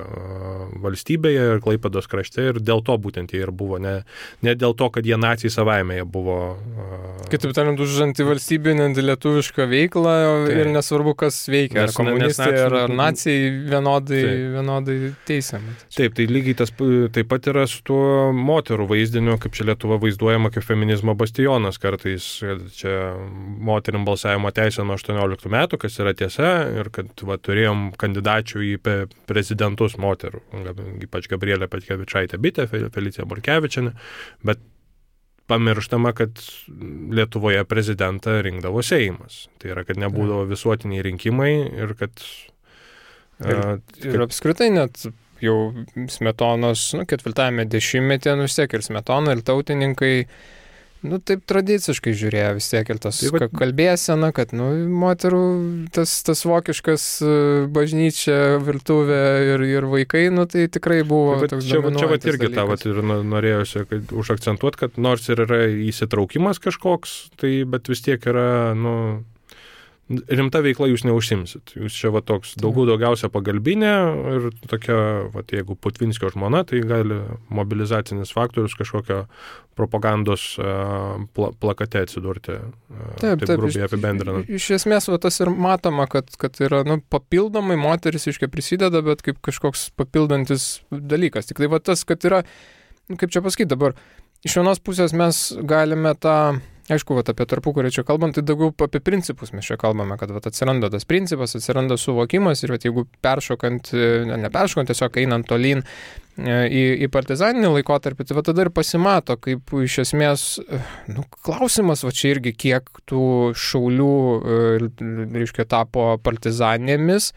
valstybėje ir Klaipėdos krašte ir dėl to būtent jie ir buvo, ne dėl to, kad jie naciai savaime jie buvo. Kitaip tariant, už antivalstybinę lietuvišką veiklą ir nesvarbu, kas veikia, ar komunistai, ar naciai vienodai teisiami. Taip, tai lygiai tas taip pat yra su tuo moterų vaizdiniu, kaip čia Lietuva vaizduojama kaip feminizmo bastionas kartais. Čia moterim balsavimo teisę nuo 18 metų, kas yra tiesa, ir kad turėjom kandidačių į prezidentus moterų, ypač Gabrielė Petkevičaitė-Bitė, Felicija Borkevičienė, bet pamirštama, kad Lietuvoje prezidentą rinkdavo Seimas. Tai yra, kad nebūdavo visuotiniai rinkimai ir kad... Ir apskritai net jau Smetonos 4-ame dešimtmetyje vis tiek ir Smetona, ir tautininkai taip tradiciškai žiūrėjo vis tiek ir tas kalbėsena, kad, moterų tas vokiškas bažnyčia, virtuvė ir vaikai, tai tikrai buvo toks dominuojantis dalykas. Čia irgi tą ir norėjusi užakcentuoti, kad nors ir yra įsitraukimas kažkoks, bet vis tiek yra, rimta veikla jūs neužsimsit. Jūs čia toks daugiausia pagalbinė ir tokia, jeigu Putvinskio žmona, tai gali mobilizacinis faktorius kažkokio propagandos plakate atsidurti. Taip grubiai apibendrinant. Iš esmės, tas ir matoma, kad yra papildomai moteris prisideda, bet kaip kažkoks papildantis dalykas. Tik tai tas, kad yra, kaip čia pasakyti dabar, iš vienos pusės mes galime aišku, apie tarpukarį čia kalbant, tai daugiau apie principus mes čia kalbame, kad atsiranda tas principas, atsiranda suvokimas ir jeigu neperšokant, tiesiog einant tolyn į partizaninį laikotarpį, tai tada ir pasimato, kaip iš esmės, klausimas, čia irgi kiek tų šaulių, tapo partizanėmis,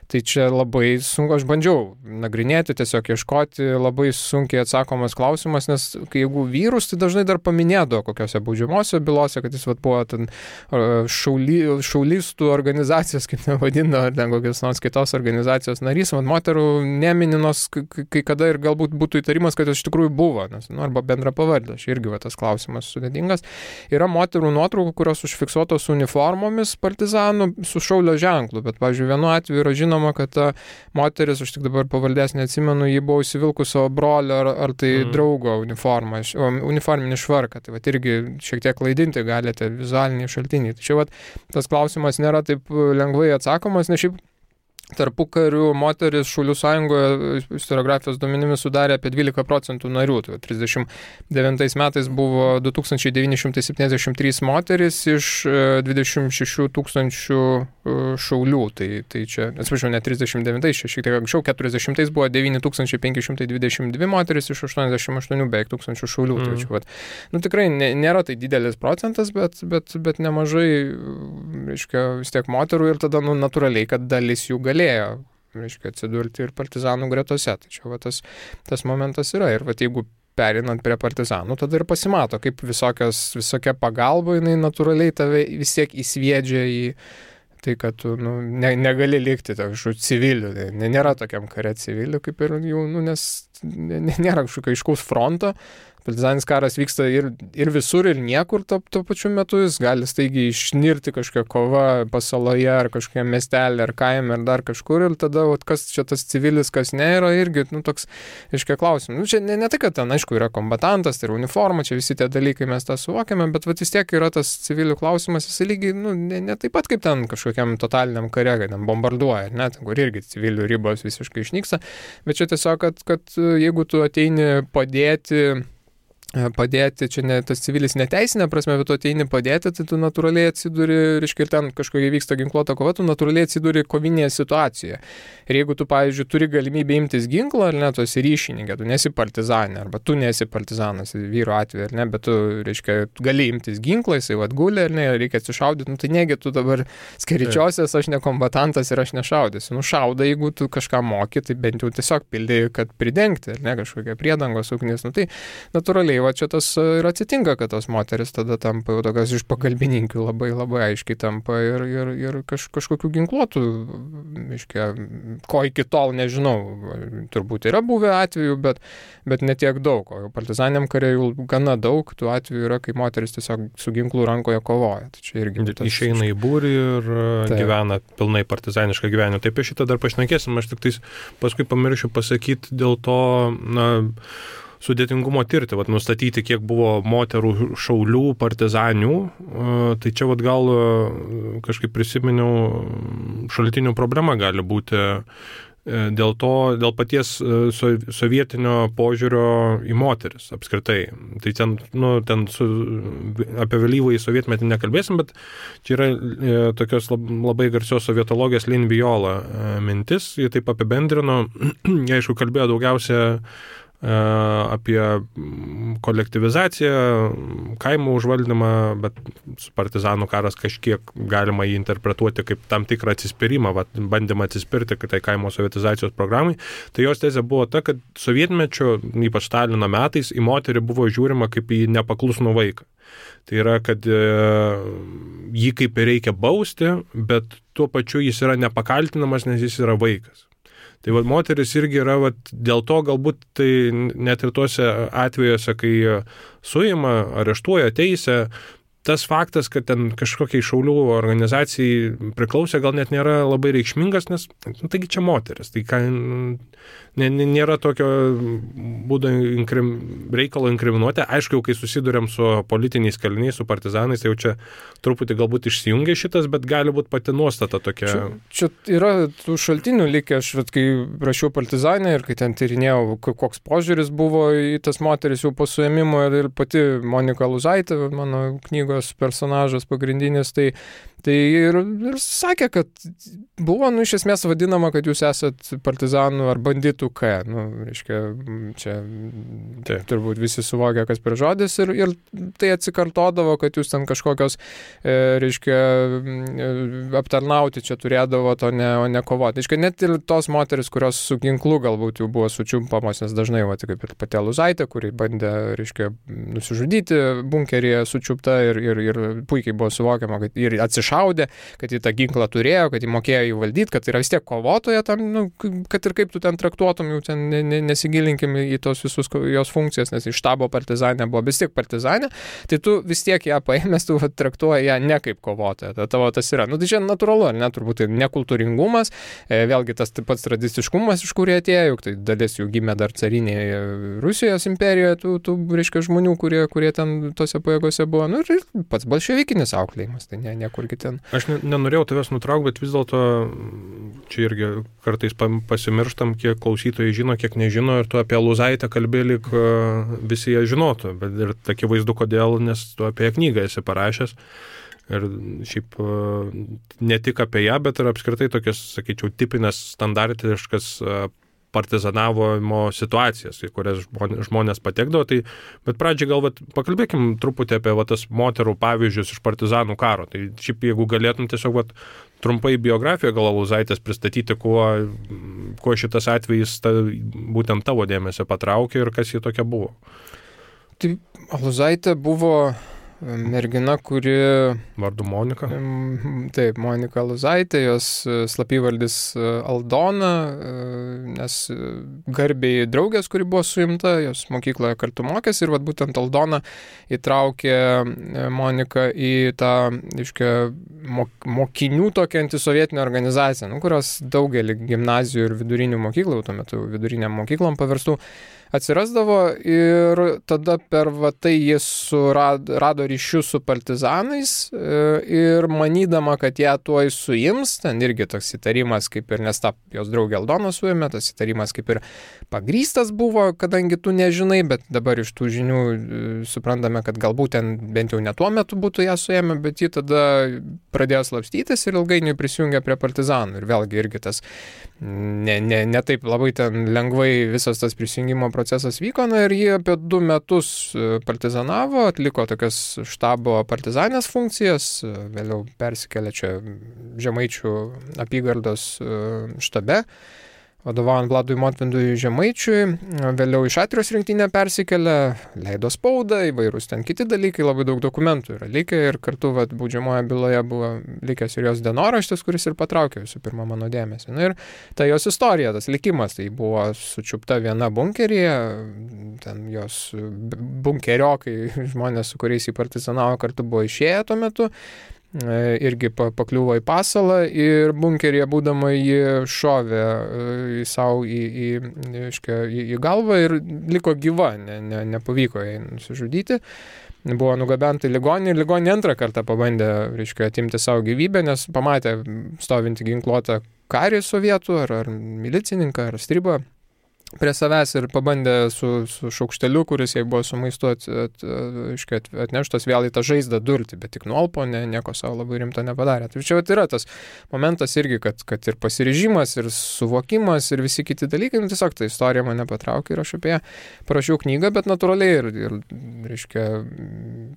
tai čia labai sunku, aš bandžiau nagrinėti, tiesiog ieškoti, labai sunkiai atsakomas klausimas, nes jeigu vyrus, tai dažnai dar paminėdavo kokiose baudžiamosiose bylose, kad jis buvo ten šaulistų organizacijos, kaip nevadino, ar ten kokios nors kitos organizacijos narys, moterų nemininos, kai kada ir galbūt būtų įtarimas, kad jos iš tikrųjų buvo, nes, arba bendra pavardė, aš irgi tas klausimas sudėtingas. Yra moterų nuotraukų, kurios užfiksuotos uniformomis partizanų su šaulio ženklu, bet, pavyzdžiui, vienu atveju yra žinoma, kad ta moteris, aš tik dabar pavardės neatsimenu, ji buvo įsivilkus savo brolio ar tai draugo uniforminį švarką, tai irgi šiek tiek klaidinti galite vizualiniai šaltiniai. Tai čia tas klausimas nėra taip lengvai atsakomas, nes šiaip tarpukariu moteris Šaulių sąjungoje istoriografijos duomenimis sudarė apie 12% narių. Tai 39 metais buvo 2973 moteris iš 26 tūkstančių šaulių. Tai čia, atsiprašau, ne 39, šiek tiek anksčiau, 40 buvo 9522 moteris iš 88 beveik tūkstančių šaulių. Tai čia, tikrai nėra tai didelis procentas, bet nemažai, vis tiek moterų ir tada, natūraliai, kad dalis jų galėjo, atsidurti ir partizanų gretose. Tai čia tas momentas yra. Ir jeigu perinant prie partizanų, tada ir pasimato, kaip visokia pagalba, jinai natūraliai tave vis tiek įsviedžia į tai, kad tu negali likti kažkokių civilių. Nėra tokiam kare civilių, kaip ir jų, nes nėra kažkokio aiškaus fronto. Partizaninis karas vyksta ir visur, ir niekur tuo pačiu metu. Jis gali staigiai išnirti kažkokia kova pasaloje, ar kažkokia miestelė, ar kaime, ar dar kažkur. Ir tada, kas čia tas civilis, kas ne, yra irgi, toks, klausimas. Čia ne tai, kad ten, aišku, yra kombatantas, tai yra uniforma, čia visi tie dalykai mes tą suvokiame, bet vis tiek yra tas civilių klausimas, jis lygiai, ne taip pat kaip ten kažkokiam totaliniam kare, kad ten bombarduoja, ten, kur irgi civilių ribos visiškai išnyksta. Bet čia tiesiog, kad jeigu tu ateini padėti, čia ne tas civilis neteisinė prasme, bet tu ateini padėti, tai tu natūraliai atsiduri, ir ten kažkokia vyksta ginkluota kova, tu natūraliai atsiduri kovinėje situacijoje. Ir jeigu tu, pavyzdžiui, turi galimybę imtis ginklą, ar ne, tu esi ryšininkė, tu nesi partizanė, arba tu nesi partizanas, vyro atveju, ar ne, bet tu, gali imtis ginklą, jisai guli, ar ne, reikia atsišaudyti, tai negi tu dabar skeričiosios, aš ne kombatantas ir aš nešaudysiu. Šaudai, jeigu tu kažką moki, tai bent jau tiesiog pildai, kad pridengti, ar ne, kažkokia priedangos ugnis, tai natūraliai čia tas ir atsitinka, kad tos moteris tada tampa jau tokios iš pagalbininkių labai labai aiškiai tampa ir kažkokių ginkluotų, ko iki tol nežinau, turbūt yra buvę atvejų, bet ne tiek daug, o partizaniniam kare jau gana daug tų atvejų yra, kai moteris tiesiog su ginklu rankoje kovoja. Tai čia irgi išeina į būrį ir gyvena pilnai partizanišką gyvenimą. Taip, apie šitą dar pašnekėsim, aš tik paskui pamiršiu pasakyti dėl to, sudėtingumo tirti, nustatyti, kiek buvo moterų šaulių, partizanių. Tai čia gal kažkaip prisiminiau, šaltinių problema gali būti dėl paties sovietinio požiūrio į moteris apskritai. Tai ten apie vėlyvąjį sovietmetį nekalbėsim, bet čia yra tokios labai garsios sovietologės Lin Viola mintis, jie taip apibendrino, jie aišku kalbėjo daugiausia apie kolektyvizaciją, kaimų užvaldymą, bet partizanų karas kažkiek galima jį interpretuoti kaip tam tikrą atsispyrimą, bandymą atsispirti tai kaimo sovietizacijos programai. Tai jos tezė buvo ta, kad sovietmečio, ypač Stalino metais, į moterį buvo žiūrima kaip į nepaklusnų vaiką. Tai yra, kad jį kaip ir reikia bausti, bet tuo pačiu jis yra nepakaltinamas, nes jis yra vaikas. Tai moteris irgi yra, dėl to galbūt tai net ir tuose atvejuose, kai suima, areštuoja, teisia, tas faktas, kad ten kažkokiai šaulių organizacijai priklausė, gal net nėra labai reikšmingas, nes taigi čia moteris. Tai nėra tokio būdo reikalo inkriminuoti. Aišku, kai susidurėm su politiniais kaliniais, su partizanais, tai jau čia truputį galbūt išsijungia šitas, bet gali būti pati nuostata tokia. Čia yra tų šaltinių likę, aš kai rašiau partizanę ir kai ten tyrinėjau, koks požiūris buvo į tas moteris jau po suėmimo ir pati Monika Luzaitė, mano knygos personažas pagrindinis, tai ir sakė, kad buvo, iš esmės vadinama, kad jūs esat partizanų ar banditų K. Reiškia, čia turbūt visi suvokia, kas per žodis ir tai atsikartodavo, kad jūs ten kažkokios, reiškia, aptarnauti čia turėdavo, o ne kovoti. Reiškia, net ir tos moteris, kurios su ginklu galbūt jau buvo sučiumpamos, nes dažnai, kaip ir pati Luzaitė, kuri bandė, reiškia, nusižudyti bunkeryje sučiupta ir puikiai buvo suvokiama, kad ir atsišaudė, kad jį tą ginklą turėjo, kad jį mokėjo įvaldyti, kad yra vis tiek kovotoja tam, kad ir kaip tu ten traktuotum, jau ten nesigilinkim į tos visus jos funkcijas, nes iš štabo partizanė buvo vis tiek partizanė, tai tu vis tiek ją paėmės, tu traktuoji ją ne kaip kovotoja, tavo tas yra. Tai čia natūralu, ar ne, turbūt tai nekultūringumas, vėlgi tas taip pats tradiciškumas, iš kur jie atėjo, juk tai dalis jų gimė dar carinėje Rusijos imperijoje, tų reiškia žmonių, kurie ten tose pajėgose buvo, ir pats bolševikinis auklėjimas, tai niekur ten. Aš nenorėjau tavęs nutraukti, bet vis dėlto čia irgi kartais pasimirštam, kiek klausytojai žino, kiek nežino, ir tu apie Luzaitę kalbėjai, lyg visi ją žinotų, bet ir akivaizdu kodėl, nes tu apie knygą esi parašęs. Ir šiaip ne tik apie ją, bet ir apskritai tokias, sakyčiau, tipinės standartiškas partizanavimo situacijas, į kurias žmonės patekdavo. Bet pradžiai gal pakalbėkim truputį apie tas moterų pavyzdžius iš partizanų karo. Tai šiaip jeigu galėtum tiesiog trumpai biografiją gal Luzaitės pristatyti, kuo šitas atvejis būtent tavo dėmesį patraukė ir kas ji tokia buvo. Tai Luzaitė buvo mergina, kuri... Vardu Monika. Taip, Monika Luzaitė, jos slapyvardis Aldona, nes garbiai draugės, kuri buvo suimta, jos mokykloje kartu mokėsi ir būtent Aldona įtraukė Moniką į tą, reiškia, mokinių tokią antisovietinę organizaciją, kurios daugelį gimnazijų ir vidurinių mokyklų, tuo metu viduriniam mokyklom paverstų, atsirasdavo ir tada per tai jis rado ryšius su partizanais ir manydama, kad ją tuoj suims, ten irgi toks įtarimas kaip ir, nes tą jos draugė Aldona suėmė, tas įtarimas kaip ir pagrįstas buvo, kadangi tu nežinai, bet dabar iš tų žinių suprantame, kad galbūt ten bent jau ne tuo metu būtų ją suėmę, bet ji tada pradėjo slapstytis ir ilgainiui prisijungė prie partizanų ir vėlgi irgi tas ne taip labai ten lengvai visas tas prisijungimo procesas vyko, ir jie apie 2 metus partizanavo, atliko tokias štabo partizanės funkcijas, vėliau persikėlė čia Žemaičių apygardos štabe, vadovaujant Vladui Motvindui Žemaičiui, vėliau iš Atrijos rinktinę persikėlė, leido spaudą, įvairūs ten kiti dalykai, labai daug dokumentų yra likę ir kartu baudžiamoje byloje buvo likęs ir jos dienoraštis, kuris ir patraukė visų pirma mano dėmesį. Ir ta jos istorija, tas likimas, tai buvo sučiupta viena bunkeryje, ten jos bunkeriokai, žmonės, su kuriais į partizanavo kartu buvo išėję tuo metu, irgi pakliuvo į pasalą ir bunkeryje būdama jį šovė savo į galvą ir liko gyva, nepavyko jai nusižudyti. Buvo nugabenta į ligoninę ir ligoninė antrą kartą pabandė, atimti savo gyvybę, nes pamatė stovinti ginkluotą karį sovietų ar milicininką ar stribą prie savęs ir pabandė su šaukšteliu, kuris jai buvo su maistu atneštas vėl į tą žaizdą durti, bet tik nuolpo, nieko savo labai rimto nepadarė. Tai čia yra tas momentas irgi, kad ir pasiryžimas, ir suvokimas, ir visi kiti dalykai, tiesiog ta istorija mane patraukė ir aš apie ją parašiau knygą, bet natūraliai ir reiškia,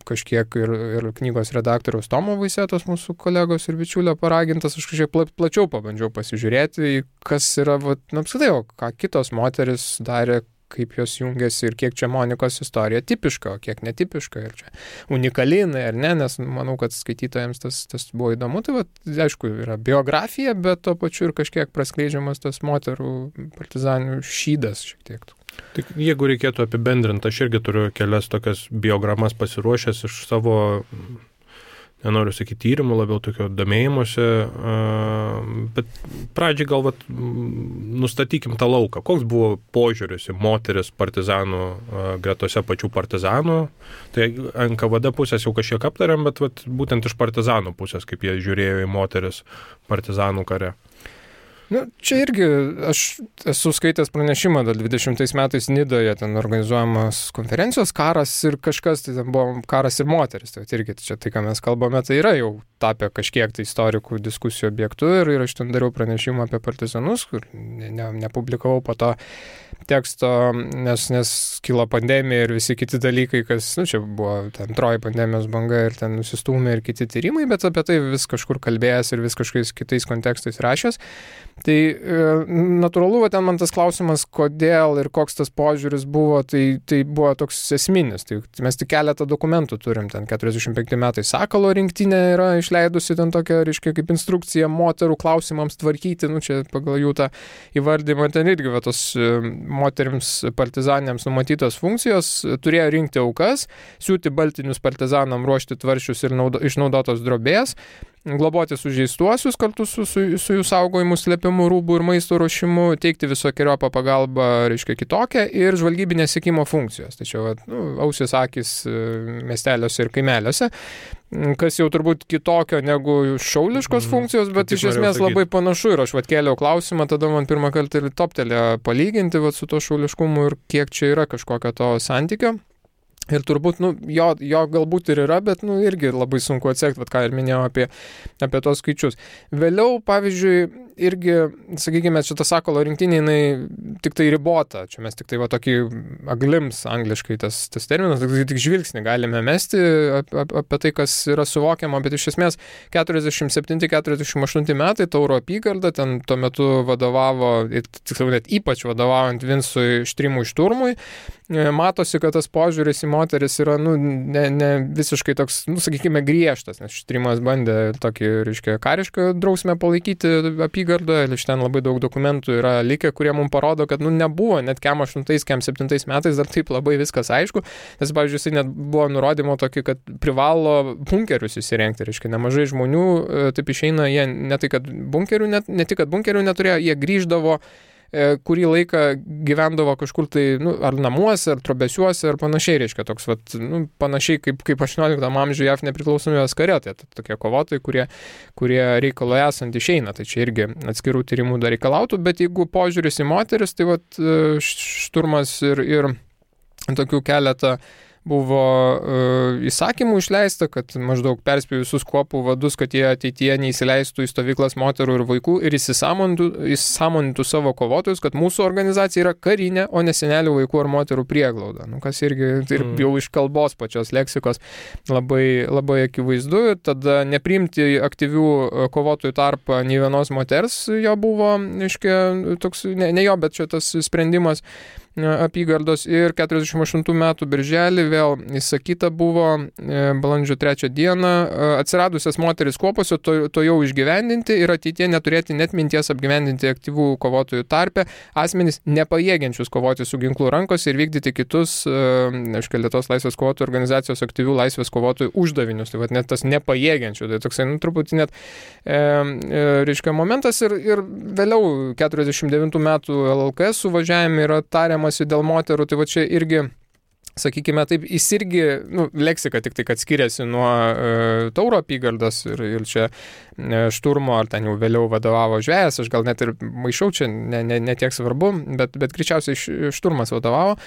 kažkiek ir knygos redaktoriaus Tomo Vaisėtos, mūsų kolegos ir bičiulio paragintas, aš kažkiek plačiau pabandžiau pasižiūrėti, kas yra, apskritai, o ką kitos moteris darė, kaip jos jungiasi ir kiek čia Monikos istorija tipiška, o kiek netipiška ir čia unikalinai ar ne, nes manau, kad skaitytojams tas buvo įdomu. Tai aišku, yra biografija, bet tuo pačiu ir kažkiek praskleidžiamas tas moterų partizanių šydas šiek tiek. Tik jeigu reikėtų apibendrinti, aš irgi turiu kelias tokias biogramas pasiruošęs iš savo, nenoriu sakyti tyrimų, labiau tokio domėjimuose, bet pradžiai gal nustatykim tą lauką. Koks buvo požiūris į moteris partizanų gretose pačių partizanų? Tai NKVD pusės jau kažkiek aptariam, bet būtent iš partizanų pusės, kaip jie žiūrėjo į moteris partizanų kare. Čia irgi aš esu skaitęs pranešimą, 20 metais Nidoje ten organizuojamas konferencijos karas ir kažkas, tai ten buvo karas ir moteris. Tai irgi čia tai, ką mes kalbame, tai yra jau tapę kažkiek tai istorikų diskusijų objektų ir aš ten dariau pranešimą apie partizanus, kur nepublikavau po to teksto, nes kilo pandemija ir visi kiti dalykai, kas, čia buvo antroji pandemijos banga ir ten nusistūmė ir kiti tyrimai, bet apie tai vis kažkur kalbėjęs ir vis kažkokiais kitais kontekstais rašęs. Tai natūralu, ten man tas klausimas, kodėl ir koks tas požiūris buvo, tai buvo toks esminis. Tai mes tik keletą dokumentų turim, ten 45 metai Sakalo rinktinė yra išleidusi ten tokią, reiškia, kaip instrukciją moterų klausimams tvarkyti, čia pagal jų tą įvardymą, ten irgi tos moterims partizanėms numatytos funkcijos, turėjo rinkti aukas, siūti baltinius partizanam, ruošti tvaršius ir išnaudotos drobės, globoti sužeistuosius kartu su jų saugojimu, slėpimu, rūbų ir maisto ruošimu, teikti visokiojopą pagalbą, reiškia, kitokią ir žvalgybinės sekimo funkcijos. Tačiau ausis akis miesteliuose ir kaimeliuose, kas jau turbūt kitokio negu šauliškos funkcijos, bet iš esmės labai panašu ir aš kėliau klausimą, tada man pirmą kartą ir toptelėjo palyginti su to šauliškumu ir kiek čia yra kažkokio to santykio. Ir turbūt, jo galbūt ir yra, bet, irgi labai sunku atsekti, ką ir minėjau apie tos skaičius. Vėliau, pavyzdžiui, irgi, sakykime, šitą Sakalo rinktinį, jinai tik tai ribota. Čia mes tik tai tokį aglims angliškai tas terminas, tik žvilgsnį galime mesti apie tai, kas yra suvokiama, bet iš esmės 47-48 metai Tauro apygarda, ten tuo metu vadovavo, tiksliau net ypač vadovaujant Vincui Štrimui Šturmui, matosi, kad tas požiūris į moteris yra, ne visiškai toks, sakykime, griežtas, nes Štrimas bandė tokį, reiškia, karišką drausmę palaikyti apygardoje, iš ten labai daug dokumentų yra likę, kurie mums parodo, kad, nebuvo net kem 8-7 metais dar taip labai viskas aišku, nes, pavyzdžiui, jisai net buvo nurodymo tokį, kad privalo bunkerius įsirengti, reiškia, nemažai žmonių, taip išeina, jie ne tik, kad bunkerių neturėjo, jie grįždavo kurį laiką gyvendavo kažkur tai, ar namuose, ar trobesiuose, ar panašiai, reiškia, toks, panašiai kaip 18 amžiuje JAV nepriklausomybės kare, tai tokie kovotojai, kurie reikalo esant išeina, tai čia irgi atskirų tyrimų dar reikalautų, bet jeigu požiūris į moteris, tai Šturmas ir tokių keletą buvo įsakymų išleista, kad maždaug perspėjo visus kuopų vadus, kad jie ateityje neįsileistų į stovyklas moterų ir vaikų ir įsisąmonintų savo kovotojus, kad mūsų organizacija yra karinė, o ne senelių vaikų ar moterų prieglauda. Kas irgi ir jau iš kalbos pačios leksikos labai, labai akivaizdu. Tada nepriimti aktyvių kovotojų tarpą nei vienos moters jo buvo, aiškiai, toks, ne jo, bet čia tas sprendimas apygardos ir 48 metų birželį vėl įsakyta buvo balandžio 3 dieną atsiradusias moteris kuopose to jau išgyvendinti ir ateitie neturėti net minties apgyvendinti aktyvų kovotojų tarpe asmenys nepajėgiančius kovoti su ginklu rankose ir vykdyti kitus, Lietuvos laisvės kovotojų organizacijos aktyvių laisvės kovotojų uždavinius. Tai net tas nepajėgiančių, tai toksai truputį net reiškia momentas ir vėliau 49 metų LLKS suvažiavime yra tariamasi dėl moterų, tai čia irgi sakykime taip, jis irgi, leksika tik tai, kad skiriasi nuo Tauro apygardos ir čia Šturmo, ar ten jau vėliau vadovavo Žvejas, aš gal net ir maišau, čia ne tiek svarbu, bet greičiausiai Šturmas vadovavo.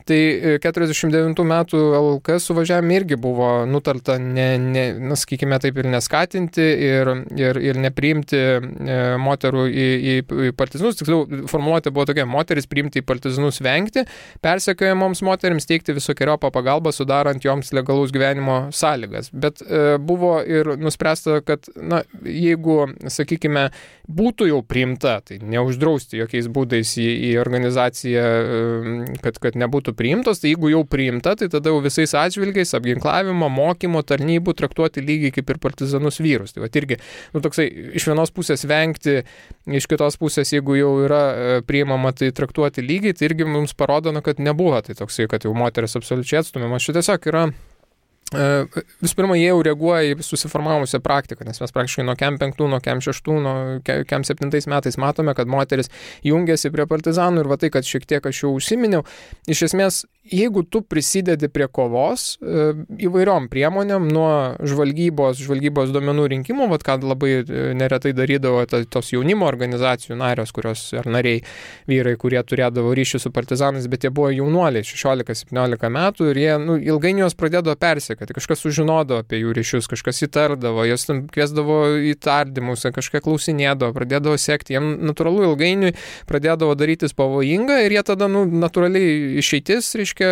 Tai 49 metų LKS suvažiavime irgi buvo nutarta, sakykime taip, ir neskatinti, ir nepriimti moterų į partizanus. Tiksliau, formuluotė buvo tokia: moteris priimti į partizanus vengti, persekiojamoms moterims teikti visokeriopą pagalbą, sudarant joms legalaus gyvenimo sąlygas. Bet buvo ir nuspręsta, kad jeigu, sakykime, būtų jau priimta, tai neuždrausti jokiais būdais į organizaciją, kad nebūtų priimtos, tai jeigu jau priimta, tai tada jau visais atžvilgiais apginklavimo, mokymo, tarnybų traktuoti lygiai kaip ir partizanus vyrus. Tai va irgi, toksai, iš vienos pusės vengti, iš kitos pusės, jeigu jau yra priimama, tai traktuoti lygiai, tai irgi mums parodo, kad nebuvo tai toksai, kad jau moteris absoliučiai atstumiamas. Štai tiesiog yra. Visų pirma, jie jau reaguoja į susiformavusią praktiką, nes mes praktiškai nuo KEM 5, nuo KEM 6, nuo KEM 7 metais matome, kad moteris jungiasi prie partizanų ir va tai, kad šiek tiek aš jau užsiminiau, iš esmės, jeigu tu prisidedi prie kovos įvairiom priemonėm, nuo žvalgybos duomenų rinkimų, vat ką labai neretai darydavo tos jaunimo organizacijų narios, kurios ar nariai vyrai, kurie turėdavo ryšį su partizanais, bet jie buvo jaunuoliai, 16-17 metų ir jie ilgainiui jos pradėdavo persekti. Kažkas sužinodavo apie jų ryšius, kažkas įtardavo, jos kviesdavo į tardymus, kažką klausinėdavo, pradėdavo sekti. Jiem natūralu ilgainiui pradėdavo darytis pavojinga ir jie tada natūraliai išeitis, reiškia,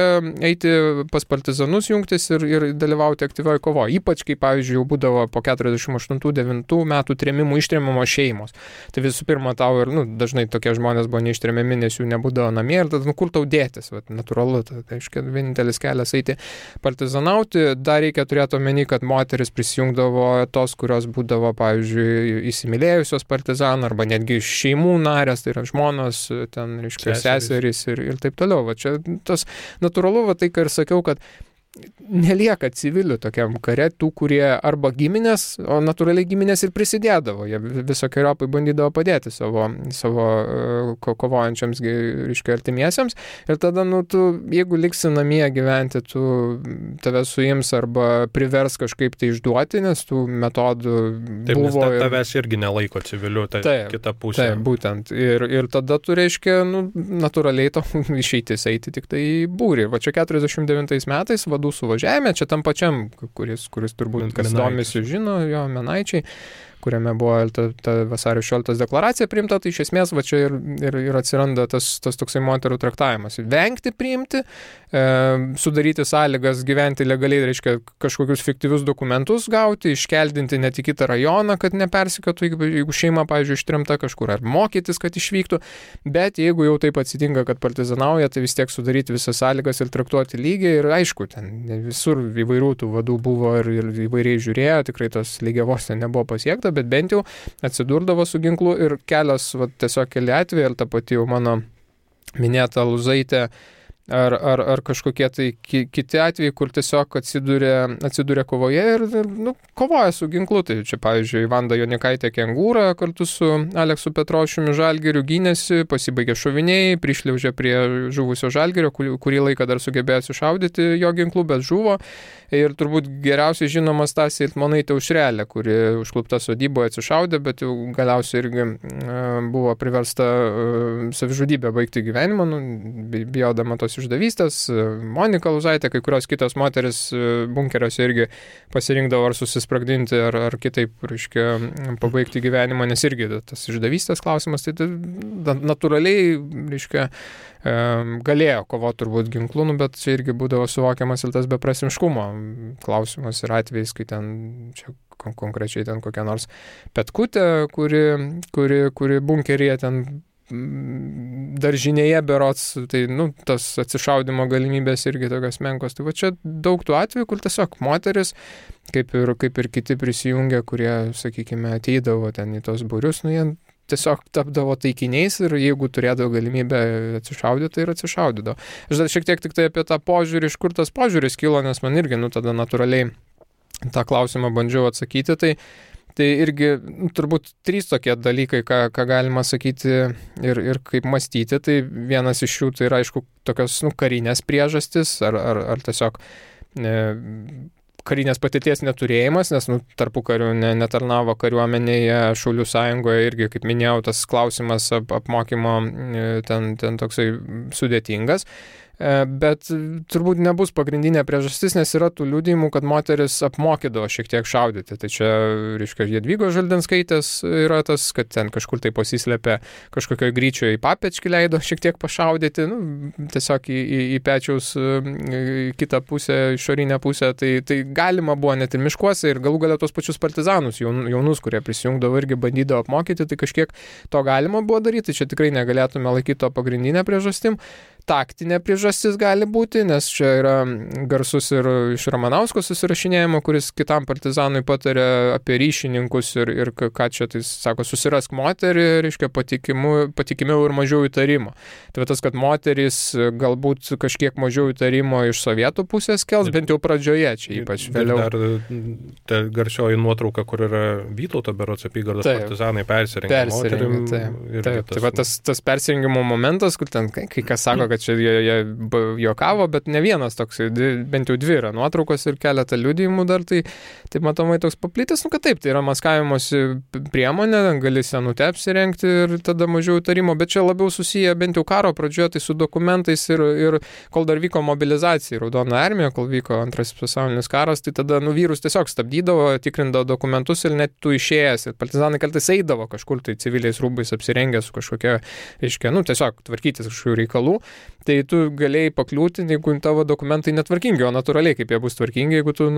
eiti pas partizanus jungtis ir dalyvauti aktyvioje kovoje. Ypač, kai, pavyzdžiui, jau būdavo po 48-49 metų trėmimų ištrėmimo šeimos. Tai visų pirma, tau ir, dažnai tokie žmonės buvo neištrėmiami, nes jų nebūdavo namie ir tada, kur tau dėtis, natūralu, tai reiškia, vienintelis kelias eiti partizanauti. Dar reikia turėti omeny, kad moteris prisijungdavo tos, kurios būdavo, pavyzdžiui, įsimylėjusios partizanų arba netgi šeimų narės, tai yra žmonos, ten, reiškia, seserys ir taip toliau. Va čia tas natūralu, va tai, ką ir sakiau, kad nelieka civilių tokiam kare, tų, kurie arba giminės, o natūraliai giminės ir prisidėdavo, jie visokiojopai bandydavo padėti savo kovojančiams, reiškia, artimiesiems, ir tada, tu, jeigu liksi namie gyventi, tave suims arba privers kažkaip tai išduoti, nes tų metodų taip, buvo. Nes tavęs irgi nelaiko civilių, tai kita pusė. Taip, būtent. Ir tada tu, reiškia, natūraliai to išeitis eiti tik tai į būrį. Va čia 49 metais suvažiavime, čia tam pačiam, kuris turbūt, kas domisi, žino, jo Menaičiai, kuriame buvo ta vasario 16 deklaracija priimta, tai iš esmės va čia ir atsiranda tas toksai moterų traktavimas. Vengti priimti, sudaryti sąlygas gyventi legaliai, reiškia kažkokius fiktyvius dokumentus gauti, iškeldinti net į kitą rajoną, kad nepersikėtų, jeigu šeima, pavyzdžiui, ištrimta kažkur, ar mokytis, kad išvyktų, bet jeigu jau taip atsitinka, kad partizanauja, tai vis tiek sudaryti visas sąlygas ir traktuoti lygiai ir aišku, ten visur įvairių tų vadų buvo ir įvairiai žiūrėjo, tikrai tos lygiavos ten nebuvo pasiekta, bet bent jau atsidurdavo su ginklu ir kelios, tiesiog keli atvejai, ir ta pati jau mano minėta Luzaitė, ar kažkokie tai kiti atvejai, kur tiesiog atsiduria kovoje ir kovoja su ginklu. Tai čia, pavyzdžiui, Vanda Jonikaitė Kengūra kartu su Aleksu Petrošiumi Žalgiriu gynėsi, pasibaigė šoviniai, prišliaužė prie žuvusio Žalgirio, kurį laiką dar sugebėjo sušaudyti jo ginklu, bet žuvo. Ir turbūt geriausiai žinoma Stasė Iltmonaitė Aušrelė, kuri užklupta sodyboje atsišaudė, bet jau galiausiai irgi buvo priversta savižudybę baigti gyvenimą, bijodama tos išdavystės. Monika Luzaitė, kai kurios kitos moteris bunkeriuose irgi pasirinkdavo ar susispragdinti, ar kitaip, reiškia, pabaigti gyvenimą, nes irgi tas išdavystės klausimas, tai natūraliai, reiškia, galėjo kovoti turbūt ginklu, bet čia irgi būdavo suvokiamas ir tas beprasmiškumo klausimas ir atvejais, kai ten, čia konkrečiai ten kokia nors Petkutė, kuri bunkeryje ten daržinėje berots, tai tas atsišaudimo galimybės irgi tokios menkos. Tai va čia daug tų atvejų, kur tiesiog moteris, kaip ir kiti prisijungę, kurie, sakykime, ateidavo ten į tos būrius, jie tiesiog tapdavo taikiniais ir jeigu turėdavo galimybę atsišaudyti, tai ir atsišaudydavo. Aš dar šiek tiek tik tai apie tą požiūrį, iš kur tas požiūris kilo, nes man irgi, tada natūraliai tą klausimą bandžiau atsakyti, tai Tai irgi turbūt 3 tokie dalykai, ką galima sakyti ir kaip mąstyti. Tai vienas iš jų tai yra, aišku, tokios karinės priežastis ar tiesiog karinės patirties neturėjimas, nes tarpukariu netarnavo kariuomenėje, Šaulių sąjungoje irgi, kaip minėjau, tas klausimas apmokymo ten toksai sudėtingas. Bet turbūt nebus pagrindinė priežastis, nes yra tų liudijimų, kad moteris apmokydavo šiek tiek šaudyti. Tai čia, reiškia, Jadvygos Žaldenskaitės yra tas, kad ten kažkur tai pasislėpė kažkokio gryčio į papečkį, leido šiek tiek pašaudyti, tiesiog į pečiaus kitą pusę, išorinę pusę. Tai galima buvo net ir miškuose ir galų galia tos pačius partizanus, jaunus, kurie prisijungdavo irgi bandydavo apmokyti, tai kažkiek to galima buvo daryti. Čia tikrai negalėtume laikyti to pagrindinę priežastim. Taktinė priežastis gali būti, nes čia yra garsus ir iš Ramanausko susirašinėjimo, kuris kitam partizanui patarė apie ryšininkus ir ką čia tai sako, susirask moterį, reiškia patikimiau ir mažiau įtarimo. Tai tas, kad moteris galbūt kažkiek mažiau įtarimo iš sovietų pusės kels, bent jau pradžioje, čia ypač vėliau. Dar ta garsioji nuotrauka, kur yra Vytauto berods apygardos partizanai persirengę moterim. Taip. Tai tas persirengimo momentas, kur ten kai kas sako, kad čia jie juokavo, bet ne vienas toks, bent jau 2 yra nuotraukos ir keletą liudijimų dar, tai matomai toks paplitęs, kad taip, tai yra maskavimosi priemonė, gali senutę apsirengti ir tada mažiau įtarimo, bet čia labiau susiję bent jau karo pradžioje, tai su dokumentais ir kol dar vyko mobilizacija, Raudona armija, kol vyko Antrasis pasaulinis karas, tai tada vyrus tiesiog stabdydavo, tikrindavo dokumentus ir net tu išėjęs, ir partizanai kartais eidavo kažkur tai civiliais rūbais apsirengę su kažkokia, reiškia, tiesiog tvarkytis kažkokių reikalų. Tai tu galėjai pakliūti, jeigu tavo dokumentai netvarkingi, o natūraliai kaip jie bus tvarkingi, jeigu tu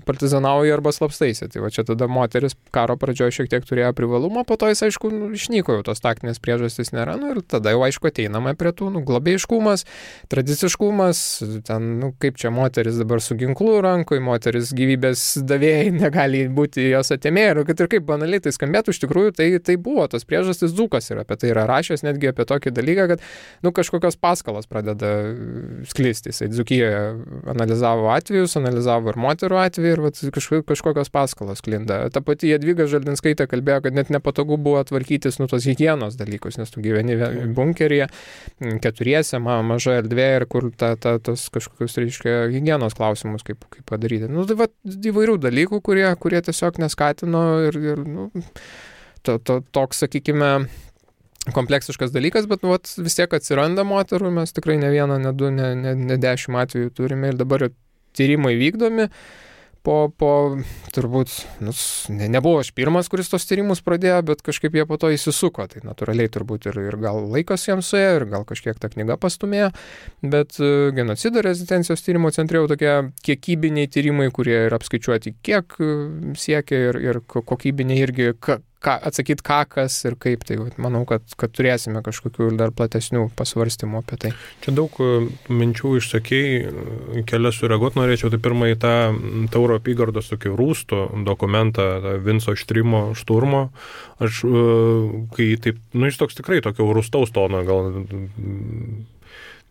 partizanauji arba slapstaisi. Tai va čia tada moteris karo pradžioje šiek tiek turėjo privalumą, po to jis aišku išnyko, jau tos taktinės priežastys nėra, ir tada jau aišku ateinama prie tų globėjiškumas, tradiciškumas, ten kaip čia moteris dabar su ginklu rankoje, moteris gyvybės davėjai negali būti jos atėmėjai, ir kad ir kaip banaliai tai skambėtų, iš tikrųjų tai buvo tos priežastys, Dzūkas yra apie tai yra rašęs netgi apie tokį dalyką, kad kažkokios paskalos pradeda sklisti. Jisai Dzūkijoje analizavo atvejus, analizavo ir moterų atvejų ir kažkokios paskalos sklinda. Ta pati Jadvyga Žaldenskaitė kalbėjo, kad net nepatogu buvo tvarkytis tos higienos dalykus, nes tu gyveni bunkeryje, 4, maža erdvė ir kur tas kažkokius, reiškia, higienos klausimus kaip padaryti. Tai va įvairių dalykų, kurie tiesiog neskatino ir toks, sakykime, kompleksiškas dalykas, bet vis tiek atsiranda moterų, mes tikrai ne 1, ne 2, ne 10 atvejų turime ir dabar tyrimai vykdomi. Po turbūt, nebuvo aš pirmas, kuris tos tyrimus pradėjo, bet kažkaip jie po to įsisuko, tai natūraliai turbūt ir gal laikas jiems suėjo, ir gal kažkiek ta knyga pastumėjo, bet genocido rezistencijos tyrimo centre jau tokie kiekybiniai tyrimai, kurie yra apskaičiuoti, kiek siekia ir kokybiniai irgi, atsakyti kas ir kaip, tai manau, kad turėsime kažkokių dar platesnių pasvarstymų apie tai. Čia daug minčių išsakei, kelias sureaguoti norėčiau, tai pirmą į tą Tauro apygardos tokį rūstų dokumentą, Vinco Šturmo, aš, kai taip, jis toks tikrai tokio rūstaus tono, gal,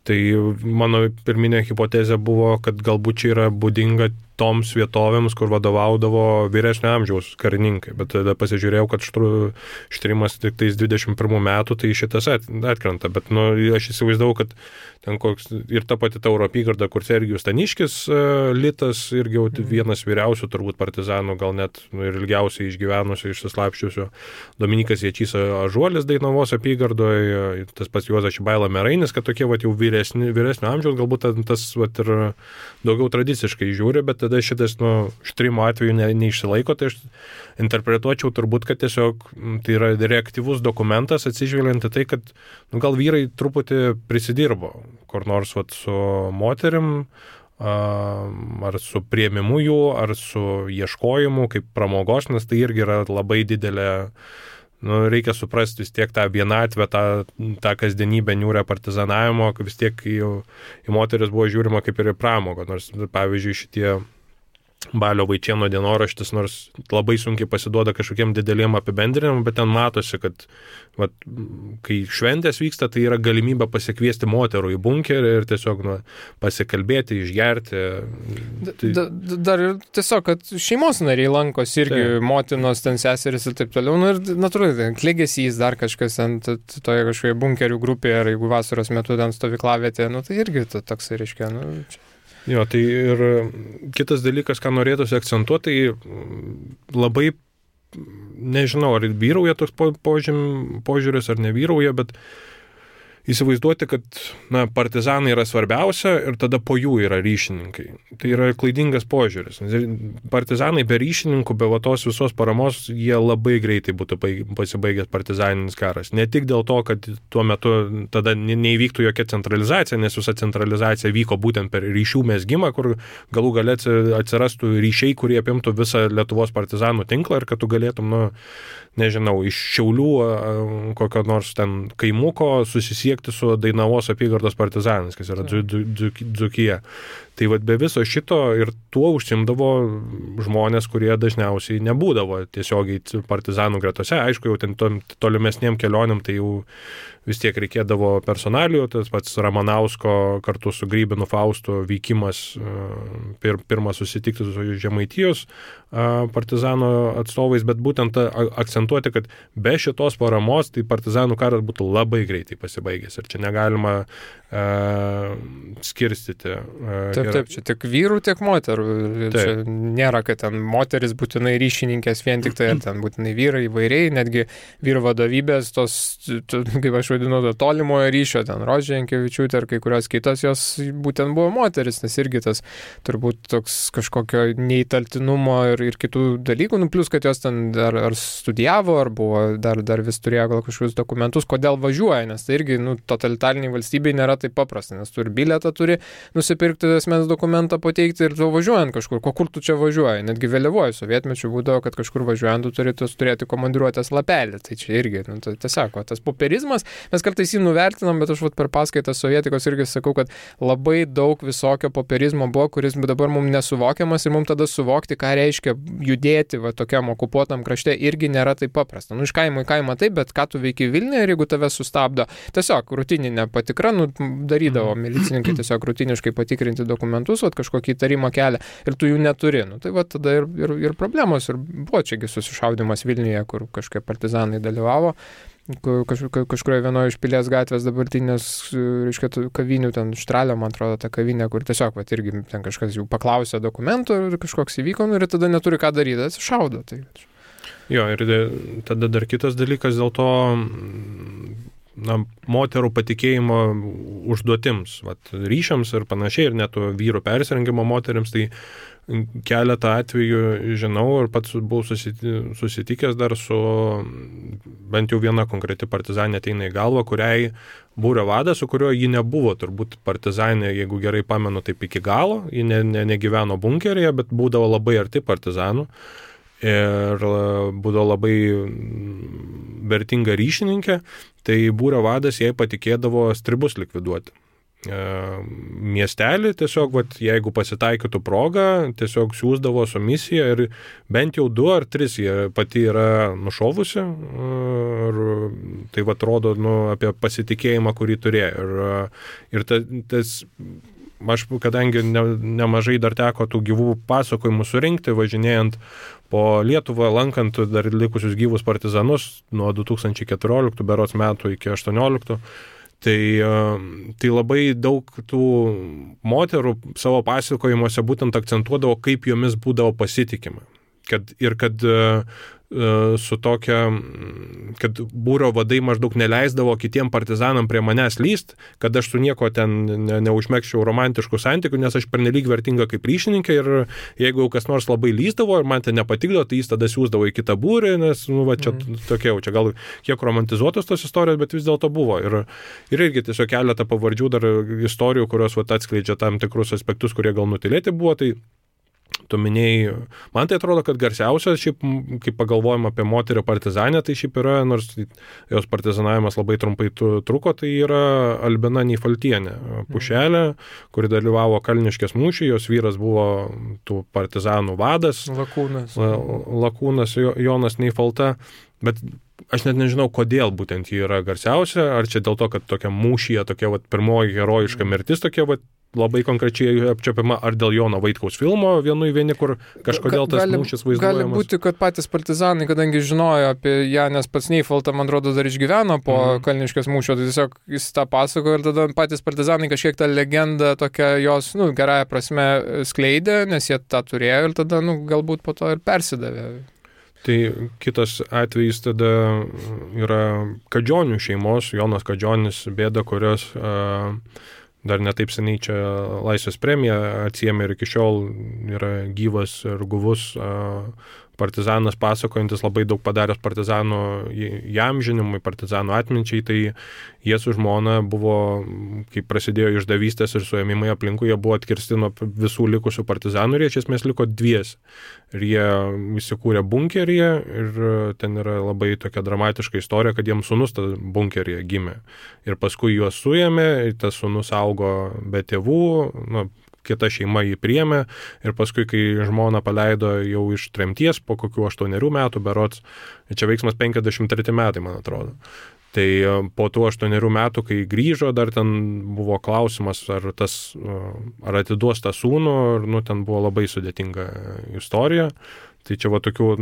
tai mano pirminė hipotezė buvo, kad galbūt čia yra būdinga toms vietovėms, kur vadovaudavo vyresnio amžiaus karininkai, bet tada pasižiūrėjau, kad Štrimas tik tais 21 metų, tai šitas atkrenta, bet aš įsivaizdavau, kad ten koks ir ta pati Tauro apygarda, kur Sergijus Staniškis litas, irgi jau vienas vyriausių turbūt partizanų, gal net ir ilgiausiai išgyvenusių, išsislapščiusių, Dominikas Ječys Ažuolis Dainavos apygardoje, tas pats Juozas Šibaila Merainis, kad tokie jau vyresnio amžiaus, galbūt tas ir daugiau tradiciškai žiūri, bet tada šitas Štrimo atveju neišsilaiko, tai aš interpretuočiau turbūt, kad tiesiog tai yra reaktyvus dokumentas, atsižvelgiant į tai, kad gal vyrai truputį prisidirbo, kur nors su moterim, ar su priėmimu jų, ar su ieškojimu kaip pramogos, nes tai irgi yra labai didelė, reikia suprasti vis tiek tą vienatvę, tą kasdienybę niūrę partizanavimo, vis tiek į moteris buvo žiūrima kaip ir į pramogą, nors pavyzdžiui šitie Balio Vaičėno dienoraštis, nors labai sunkiai pasiduoda kažkokiem dideliem apibendrinimam, bet ten matosi, kad kai šventės vyksta, tai yra galimybė pasikviesti moterų į bunkerį ir tiesiog pasikalbėti, išgerti. Dar ir tiesiog, kad šeimos nariai lankosi irgi, motinos, ten seseris ir taip toliau. Ir natūraliai, klegesys, dar kažkas ant toje kažkoje bunkerių grupėje, ar jeigu vasaros metu ten stovyklavietė, tai irgi toks reiškia. Jo, tai ir kitas dalykas, ką norėtųsi akcentuoti, tai labai, nežinau, ar vyrauja toks požiūris, ar nevyrauja, bet įsivaizduoti, kad partizanai yra svarbiausia ir tada po jų yra ryšininkai. Tai yra klaidingas požiūris. Partizanai be ryšininkų, be tos visos paramos, jie labai greitai būtų pasibaigęs partizaninis karas. Ne tik dėl to, kad tuo metu tada neįvyktų jokia centralizacija, nes visa centralizacija vyko būtent per ryšių mezgimą, kur galų gale atsirastų ryšiai, kurie apimtų visą Lietuvos partizanų tinklą ir kad tu galėtum, nežinau, iš Šiaulių kokio nors ten kaimuko susisiekti su Dainavos apygardos partizanais, kas yra Dzūkija. Tai be viso šito ir tuo užsimdavo žmonės, kurie dažniausiai nebūdavo tiesiogiai partizanų gretose. Aišku, jau ten tolimesniem kelionėm tai jau vis tiek reikėdavo personalijų, tas pats Ramanausko kartu su Grybinu Faustu vykimas, pirmas susitikti su Žemaitijos partizanų atstovais, bet būtent akcentuoti, kad be šitos paramos tai partizanų karas būtų labai greitai pasibaigęs ir čia negalima skirstyti. Taip, čia tiek vyrų, tiek moterų. Čia nėra, kad ten moteris būtinai ryšininkės vien tik tai, ten būtinai vyrai įvairiai, netgi vyrų vadovybės, tos, kaip aš vadinu, tolimojo ryšio, ten Rožė Jankevičiūtė ir kai kurios kitos, jos būtent buvo moteris, nes irgi tas turbūt toks kažkokio neįtaltinumo ir kitų dalykų, plus kad jos ten ar studijavo, ar buvo, dar vis turėjo gal kažkokius dokumentus, kodėl važiuoja, nes tai irgi, totalitariniai valstybei nėra taip paprasta, nes tu ir bilietą turi nusipirkti, asmens dokumentą pateikti ir tu važiuojant kažkur, kur tu čia važiuoji, netgi vėliavoju sovietmečiu būdavo, kad kažkur važiuojant tu turi turėti komandiruotės lapelį, tai čia irgi, tiesiog, tas popierizmas, mes kartais jį nuvertinam, bet aš per paskaitą sovietikos irgi sakau, kad labai daug visokio popierizmo buvo, kuris dabar mums nesuvokiamas ir mums tada suvokti, ką reiškia judėti tokiam okupuotam krašte, irgi nėra taip paprasta. Iš kaimo į kaimą taip, bet ką tu veiki Vilniuje ir jeigu tave sustabdo, tiesiog rutininė patikra, darydavo milicininkai tiesiog rutiniškai patikrinti dokumentus, kažkokį įtarimą kelia ir tu jų neturi. Tai tada ir problemos, ir buvo čiagi susišaudimas Vilniuje, kur kažkokie partizanai dalyvavo, kažkurioje vienoje iš Pilies gatvės dabartinės, reiškia, kavinių, ten Štralio, man atrodo, ta kavinė, kur tiesiog, irgi ten kažkas jų paklausė dokumentų ir kažkoks įvyko, ir tada neturi ką daryti, atsišaudo. Tai. Jo, ir tada dar kitas dalykas dėl to, moterų patikėjimo užduotims, ryšiams ir panašiai, ir net vyrų persirengimo moteriams, tai keletą atvejų žinau ir pats buvau susitikęs dar su bent jau viena konkreti partizanė ateina į galvą, kuriai būrio vadas, su kuriuo ji nebuvo turbūt partizanė, jeigu gerai pamenu, taip iki galo, ji negyveno bunkeryje, bet būdavo labai arti partizanų. Ir būdavo labai vertinga ryšininkė, tai būrio vadas jai patikėdavo stribus likviduoti. Miestelį tiesiog, jeigu pasitaikytų progą, tiesiog siųsdavo su misija ir bent jau 2 ar 3 jie pati yra nušovusi ir tai rodo apie pasitikėjimą, kurį turėjo. Ir tas aš, kadangi nemažai dar teko tų gyvų pasakojimų surinkti, važinėjant po Lietuvą, lankant dar likusius gyvus partizanus nuo 2014 berods metų iki 2018, tai labai daug tų moterų savo pasakojimuose būtent akcentuodavo, kaip jomis būdavo pasitikima. Kad su tokia, kad būrio vadai maždaug neleisdavo kitiem partizanam prie manęs lyst, kad aš su nieko ten neužmegščiau romantiškų santykių, nes aš pernelyg vertinga kaip ryšininkė ir jeigu kas nors labai lysdavo ir man tai nepatikdavo, tai jis tada siųsdavo į kitą būrį, nes čia tokia, čia gal kiek romantizuotos tos istorijos, bet vis dėlto buvo. Ir irgi tiesiog keletą pavardžių dar istorijų, kurios atskleidžia tam tikrus aspektus, kurie gal nutylėti buvo, tai tu minėjai, man tai atrodo, kad garsiausia, šiaip, kai pagalvojam apie moterį partizanę, tai šiaip yra, nors jos partizanavimas labai trumpai truko, tai yra Albina Neifaltienė, Pušelė, kuri dalyvavo Kalniškės mūšį, jos vyras buvo tų partizanų vadas. Lakūnas Jonas Neifalta, bet aš net nežinau, kodėl būtent ji yra garsiausia, ar čia dėl to, kad tokia mūšyje, tokia pirmoji herojiška mirtis, tokia labai konkrečiai apčiopima, ar dėl Jono Vaitkaus filmo vieni, kur kažkodėl tas mūšis vaizduojamas. Gali būti, kad patys partizanai, kadangi žinojo apie ją, nes pats Neifalta, man atrodo, dar išgyveno po Kalniškės mūšio, tai tiesiog jis tą pasakojo ir tada patys partizanai kažkiek tą legendą tokią jos, gerąją prasme skleidė, nes jie tą turėjo ir tada, galbūt po to ir persidavė. Tai kitas atvejis tada yra Kadžionių šeimos, Jonas Kadžionis, Bėda, kurios dar netaip seniai čia Laisvės premiją atsiėmė ir iki šiol yra gyvas ir guvus partizanas, pasakojantis labai daug padaręs partizanų įamžinimui, partizanų atminčiai, tai jie su žmona buvo, kai prasidėjo išdavystės ir suėmimai aplinkui, jie buvo atkirsti nuo visų likusių partizanų ir jie iš esmės liko dviesi. Ir jie įsikūrė bunkeryje ir ten yra labai tokia dramatiška istorija, kad jiems sūnus bunkeryje gimė. Ir paskui juos suėmė, tas sūnus augo be tėvų, kita šeima jį priėmė ir paskui, kai žmona paleido jau iš tremties po kokių 8 metų berods, čia veiksmas 53 metai, man atrodo. Tai po tų 8 metų, kai grįžo, dar ten buvo klausimas, ar atiduos tą sūnų, ir ten buvo labai sudėtinga istorija. Tai čia tokių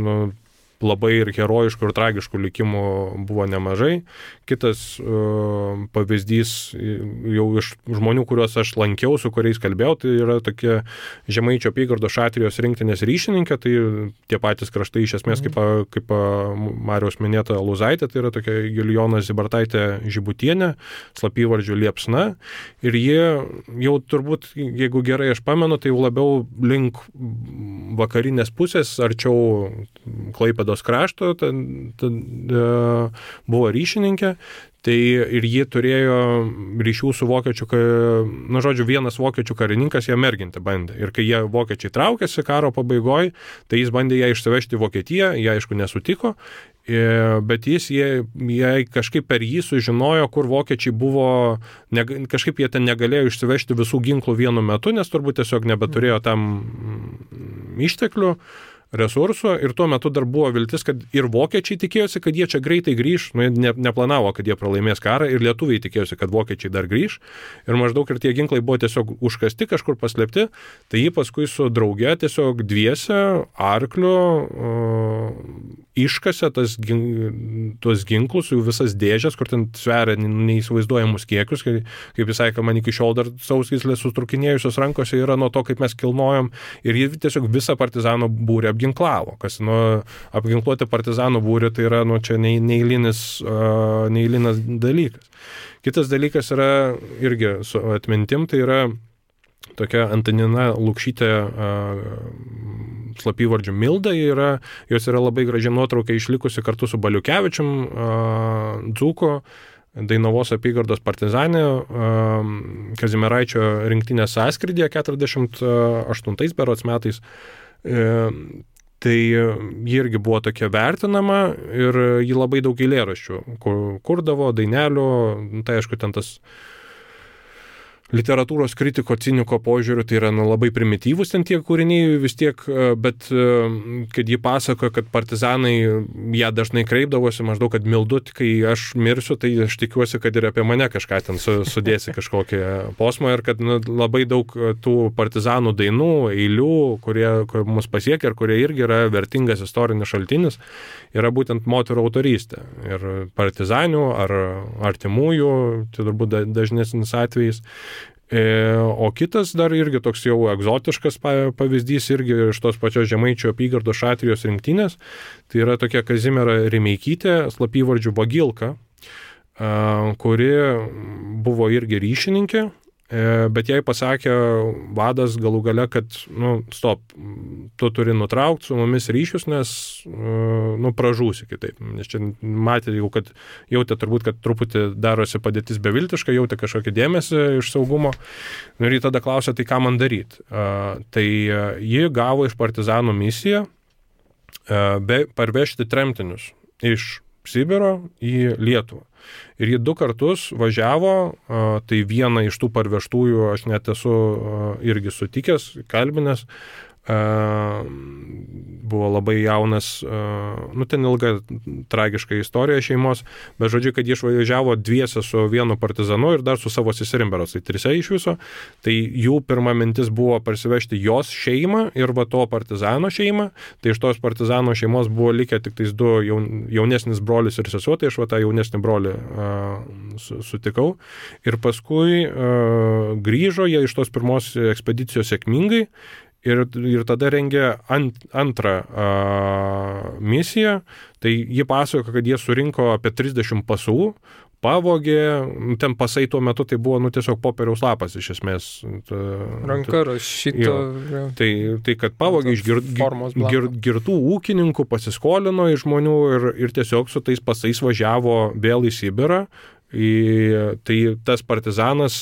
labai ir herojiškų ir tragiškų likimų buvo nemažai. Kitas pavyzdys jau iš žmonių, kuriuos aš lankiau, su kuriais kalbėjau, tai yra tokie Žemaičio apygardos Šatrijos rinktinės ryšininkė, tai tie patys kraštai iš esmės kaip Mariaus minėta Lūzaitė, tai yra tokia Julijona Zybartaitė Žibutienė, slapyvardžiu Liepsna, ir jie jau turbūt, jeigu gerai aš pamenu, tai jau labiau link vakarinės pusės, arčiau Klaipėdos krašto, buvo ryšininkė, tai ir ji turėjo ryšių su vokiečių, vienas vokiečių karininkas ją merginti bandė. Ir kai jie vokiečiai traukėsi karo pabaigoje, tai jis bandė ją išsivežti į Vokietiją, jie aišku nesutiko, bet jie kažkaip per jį sužinojo, kur vokiečiai buvo, kažkaip jie ten negalėjo išsivežti visų ginklų vienu metu, nes turbūt tiesiog nebeturėjo tam išteklių, resursų, ir tuo metu dar buvo viltis, kad ir vokiečiai tikėjosi, kad jie čia greitai grįž, neplanavo, kad jie pralaimės karą, ir lietuviai tikėjosi, kad vokiečiai dar grįž, ir maždaug ir tie ginklai buvo tiesiog užkasti, kažkur paslėpti, tai jį paskui su drauge tiesiog dviese arkliu iškasė tuos ginklus, jų visas dėžės, kur ten sveria neįsivaizduojamus kiekius, kaip jis sakė, man iki šiol dar sausgyslės sutrukinėjusios rankose yra nuo to, kaip mes kilnojom, ir jie tiesiog visą partizanų būrį apginklavo, kas apginkluoti partizanų būrį, tai yra čia neeilinis dalykas. Kitas dalykas yra irgi su atmintim, tai yra tokia Antanina Lukšytė slapyvardžiu Milda, jos yra labai graži nuotrauka išlikusi kartu su Baliukevičium, dzūko, Dainavos apygardos partizanė, Kazimieraičio rinktinės sąskrydyje 48 berods metais. Tai ji irgi buvo tokia vertinama ir ji labai daug eilėraščių kurdavo, dainelių, tai aišku, ten tas literatūros kritiko, ciniko požiūriu, tai yra labai primityvus ten tie kūriniai vis tiek, bet kad ji pasakoja, kad partizanai ją dažnai kreipdavosi, maždaug, kad Mildut, kai aš mirsiu, tai aš tikiuosi, kad ir apie mane kažką ten sudėsi kažkokią posmą, ir kad labai daug tų partizanų dainų, eilių, kurie mus pasiekia ir kurie irgi yra vertingas istorinis šaltinis, yra būtent moterų autorystė. Ir partizanių ar artimųjų, tai turbūt dažnesnis atvejis. O kitas dar irgi toks jau egzotiškas pavyzdys, irgi iš tos pačios Žemaičio apygardos Šatrijos rinktinės, tai yra tokia Kazimiera Rimeikytė, slapyvardžiu Bagilka, kuri buvo irgi ryšininkė, bet jai pasakė vadas galų gale, kad, stop, tu turi nutraukti su mumis ryšius, nes, pražūsi kitaip. Nes čia matė jau, kad jautė turbūt, kad truputį darosi padėtis beviltiška, jautė kažkokį dėmesį iš saugumo. Ir jį tada klausė, tai ką man daryti. Tai ji gavo iš partizanų misiją parvežti tremtinius iš Sibiro į Lietuvą. Ir jį 2 kartus važiavo, tai vieną iš tų parvežtųjų aš net esu irgi sutikęs, kalbinęs, buvo labai jaunas, ten ilga tragiška istorija šeimos, bet žodžiu, kad jie išvažiavo dviese su vienu partizanu ir dar su savo seserim berods, tai 3 iš viso, tai jų pirma mintis buvo parsivežti jos šeimą ir va to partizano šeimą, tai iš tos partizano šeimos buvo likę tik tais 2 jaunesnis brolis ir sesuo, tai aš va tą jaunesnį brolį sutikau ir paskui grįžo jie iš tos pirmos ekspedicijos sėkmingai. Ir tada rengė antrą misiją, tai jie pasakojo, kad jie surinko apie 30 pasų, pavogė, ten pasai tuo metu tai buvo tiesiog popieriaus lapas iš esmės. Ranka rašyto. Tai kad pavogė iš girtų ūkininkų, pasiskolino iš žmonių ir tiesiog su tais pasais važiavo vėl į Sibirą. Tai tas partizanas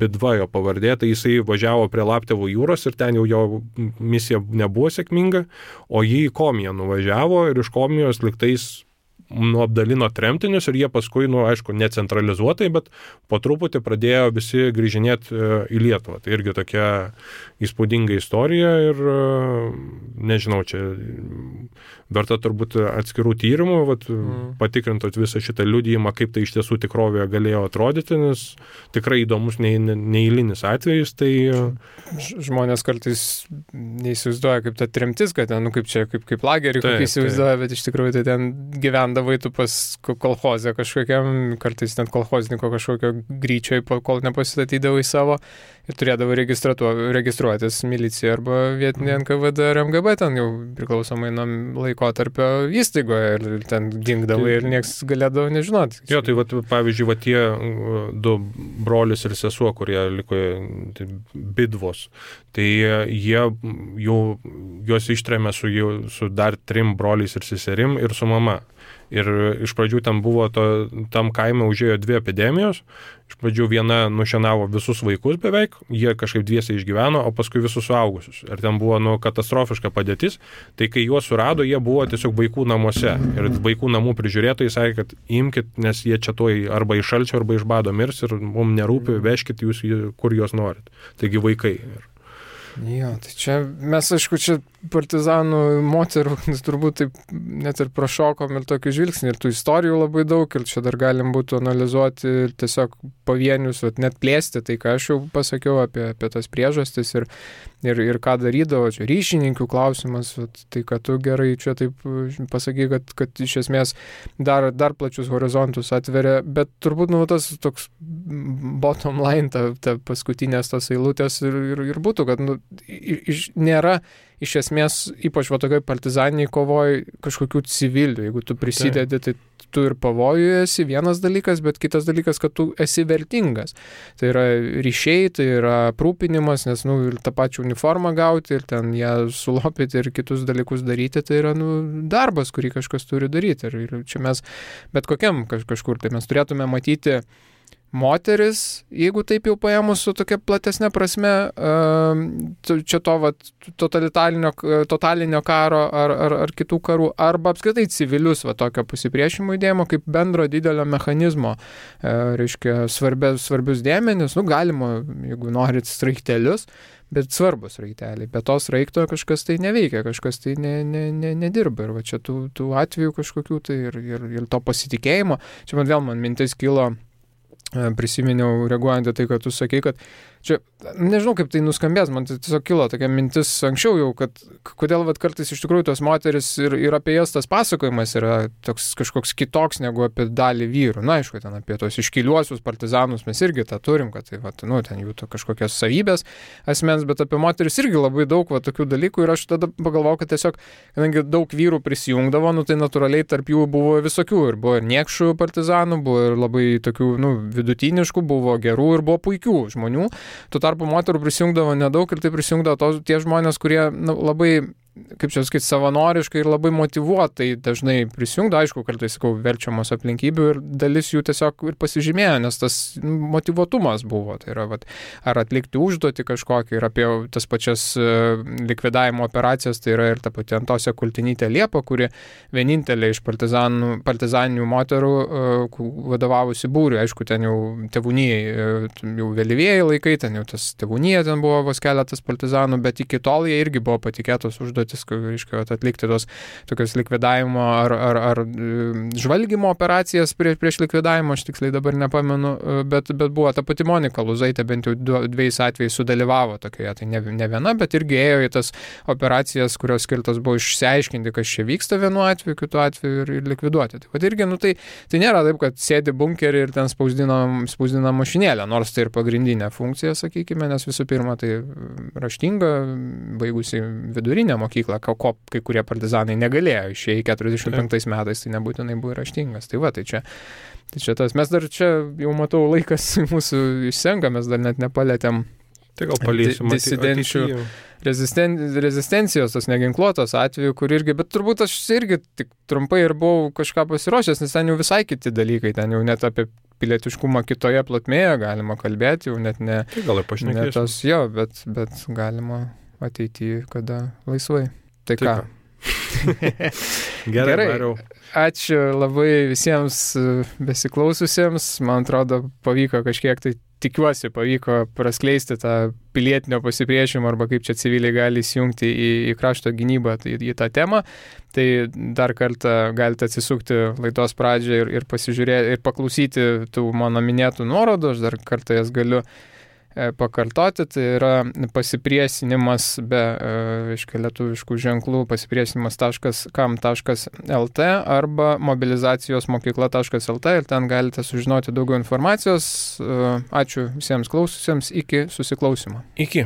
Bidva jo pavardė, tai jisai važiavo prie Laptevų jūros ir ten jau jo misija nebuvo sėkminga, o jį į Komiją nuvažiavo ir iš Komijos liktais apdalino tremtinius ir jie paskui, aišku, necentralizuotai, bet po truputį pradėjo visi grįžinėti į Lietuvą. Tai irgi tokia įspūdinga istorija ir nežinau, čia verta turbūt atskirų tyrimų, patikrintot visą šitą liudijimą, kaip tai iš tiesų tikrovėje galėjo atrodyti, nes tikrai įdomus neeilinis atvejis. Tai žmonės kartais neįsivaizduoja, kaip ta tremtis, kad ten, kaip lagerį, kaip įsivaizduoja, bet iš tikrųjų tai ten gyvendavai tu pas kolchozę kažkokiam, kartais net kolchozniko kažkokio gryčioj, kol nepasistatydavai savo ir turėdavai registruotis milicija arba vietinė NKVD ar MGB, ten jau priklausomai nuo laikotarpio įstaigoje ir ten dingdavai ir nieks galėdavo nežinoti. Jo, tai pavyzdžiui, tie 2 brolis ir sesuo, kurie liko Bidvos, tai juos ištrėmė su dar 3 broliais ir seserim ir su mama. Ir iš pradžių ten buvo, tam kaime užėjo 2 epidemijos. Iš pradžių viena nušienavo visus vaikus beveik, jie kažkaip dviese išgyveno, o paskui visus suaugusius. Ir ten buvo katastrofiška padėtis. Tai kai juos surado, jie buvo tiesiog vaikų namuose. Ir vaikų namų prižiūrėtojai sakė, kad imkit, nes jie čia toj arba iš šalčio, arba iš bado mirs ir mums nerūpi, vežkit jūs, kur juos norit. Taigi vaikai. Jo, tai čia mes, aišku, čia partizanų moterų turbūt taip net ir prašokom ir tokį žvilgsnį, ir tų istorijų labai daug, ir čia dar galim būtų analizuoti tiesiog pavienius, net plėsti tai, ką aš jau pasakiau apie tas priežastis ir ką darydavo, čia ryšininkių klausimas, tai kad tu gerai čia taip pasakai, kad iš esmės dar plačius horizontus atveria, bet turbūt tas toks bottom line, ta paskutinės tos eilutės ir būtų, kad nėra iš esmės, ypač tokioj partizaniniai kovoj kažkokių civilių. Jeigu tu prisidedi, tai tu ir pavojuje esi vienas dalykas, bet kitas dalykas, kad tu esi vertingas. Tai yra ryšiai, tai yra aprūpinimas, nes ir tą pačią uniformą gauti ir ten ją sulopyti ir kitus dalykus daryti, tai yra darbas, kurį kažkas turi daryti. Ir čia mes bet kokiam kažkur, tai mes turėtume matyti moteris, jeigu taip jau paėmus su tokia platesnė prasme, čia totalinio karo ar kitų karų, arba apskritai civilius tokio pasipriešinimo judėjimo kaip bendro didelio mechanizmo, reiškia svarbius dėmenis, galima, jeigu norit, sraigtelius, bet svarbus raigteliai. Be to sraigto kažkas tai neveikia, kažkas tai nedirba. Ir čia tų atvejų kažkokių tai ir to pasitikėjimo. Čia man mintis kilo, prisiminiau, reaguojant į tai, kad tu sakei, kad čia, nežinau, kaip tai nuskambės, man tai tiesiog kilo tokia mintis anksčiau jau, kad kodėl kartais iš tikrųjų tos moteris ir apie jas tas pasakojimas yra toks kažkoks kitoks negu apie dalį vyrų. Na, aišku, ten apie tos iškiliuosius partizanus mes irgi tą turim, kad tai, ten jų kažkokios savybės asmens, bet apie moteris irgi labai daug tokių dalykų ir aš tada pagalvojau, kad tiesiog, kadangi daug vyrų prisijungdavo, tai natūraliai tarp jų buvo visokių ir buvo ir niekšų partizanų, buvo ir labai tokių, vidutiniškų, buvo gerų ir buvo puikių žmonių. Tuo tarpu moterų prisijungdavo nedaug ir tai prisijungdavo tie žmonės, kurie labai, kaip čia sakyti, savanoriškai ir labai motyvuotai dažnai prisijungdavo, aišku, kartais, sakau, verčiamos aplinkybių ir dalis jų tiesiog ir pasižymėjo, nes tas motyvuotumas buvo. Tai yra, ar atlikti užduotį kažkokį ir apie tas pačias likvidavimo operacijas, tai yra ir ta pati Antosė Kultinytė Liepa, kuri vienintelė iš partizaninių moterų vadovavusi būriui. Aišku, ten jau tėvūnijai, jau vėlyvieji laikai, ten jau tas tėvūnija, ten buvo vos keletas partizanų, bet iki tol jie irgi buvo patikėtos užduotys, reiškia, atlikti tos tokios likvidavimo ar žvalgymo operacijas prieš likvidavimą, aš tiksliai dabar nepamenu, bet buvo ta pati Monika Luzaitė, bent jau dviejais atvejais sudalyvavo tokioje, tai ne viena, bet irgi ėjo į tas operacijas, kurios skirtos buvo išsiaiškinti, kas čia vyksta vienu atveju, kitu atveju ir likviduoti. Tai irgi, tai nėra taip, kad sėdi bunkerį ir ten spausdina mašinėlę, nors tai ir pagrindinė funkcija, sakykime, nes visų pirma, tai raštinga, baigusi vidurinę mokyklą, ko kai kurie partizanai negalėjo išėjai 45 metais, tai nebūtinai buvo raštingas. Tai čia tas. Mes dar čia, jau matau, laikas mūsų išsenka, mes dar net nepalėtėm disidenčių rezistencijos, tos neginkluotos atveju, kur irgi, bet turbūt aš irgi tik trumpai ir buvau kažką pasiruošęs, nes ten jau visai kiti dalykai, ten jau net apie pilietiškumą kitoje plotmėje galima kalbėti, jau net ne... Tai gal ir pašnekėsim. Bet galima ateityje, kada laisvai. Tai ką? Gerai. Ačiū labai visiems besiklaususiems. Man atrodo, pavyko kažkiek, tai tikiuosi, pavyko praskleisti tą pilietinio pasipriešinimo arba kaip čia civiliai gali įsijungti į krašto gynybą, tai į tą temą. Tai dar kartą galite atsisukti laidos pradžią ir pasižiūrėti ir paklausyti tų mano minėtų nuorodų. Aš dar kartą jas galiu pakartoti, tai yra pasipriešinimas be lietuviškų ženklų, pasipriešinimas.kam.lt arba mobilizacijosmokykla.lt ir ten galite sužinoti daugiau informacijos. Ačiū visiems klaususiems, iki susiklausimo. Iki.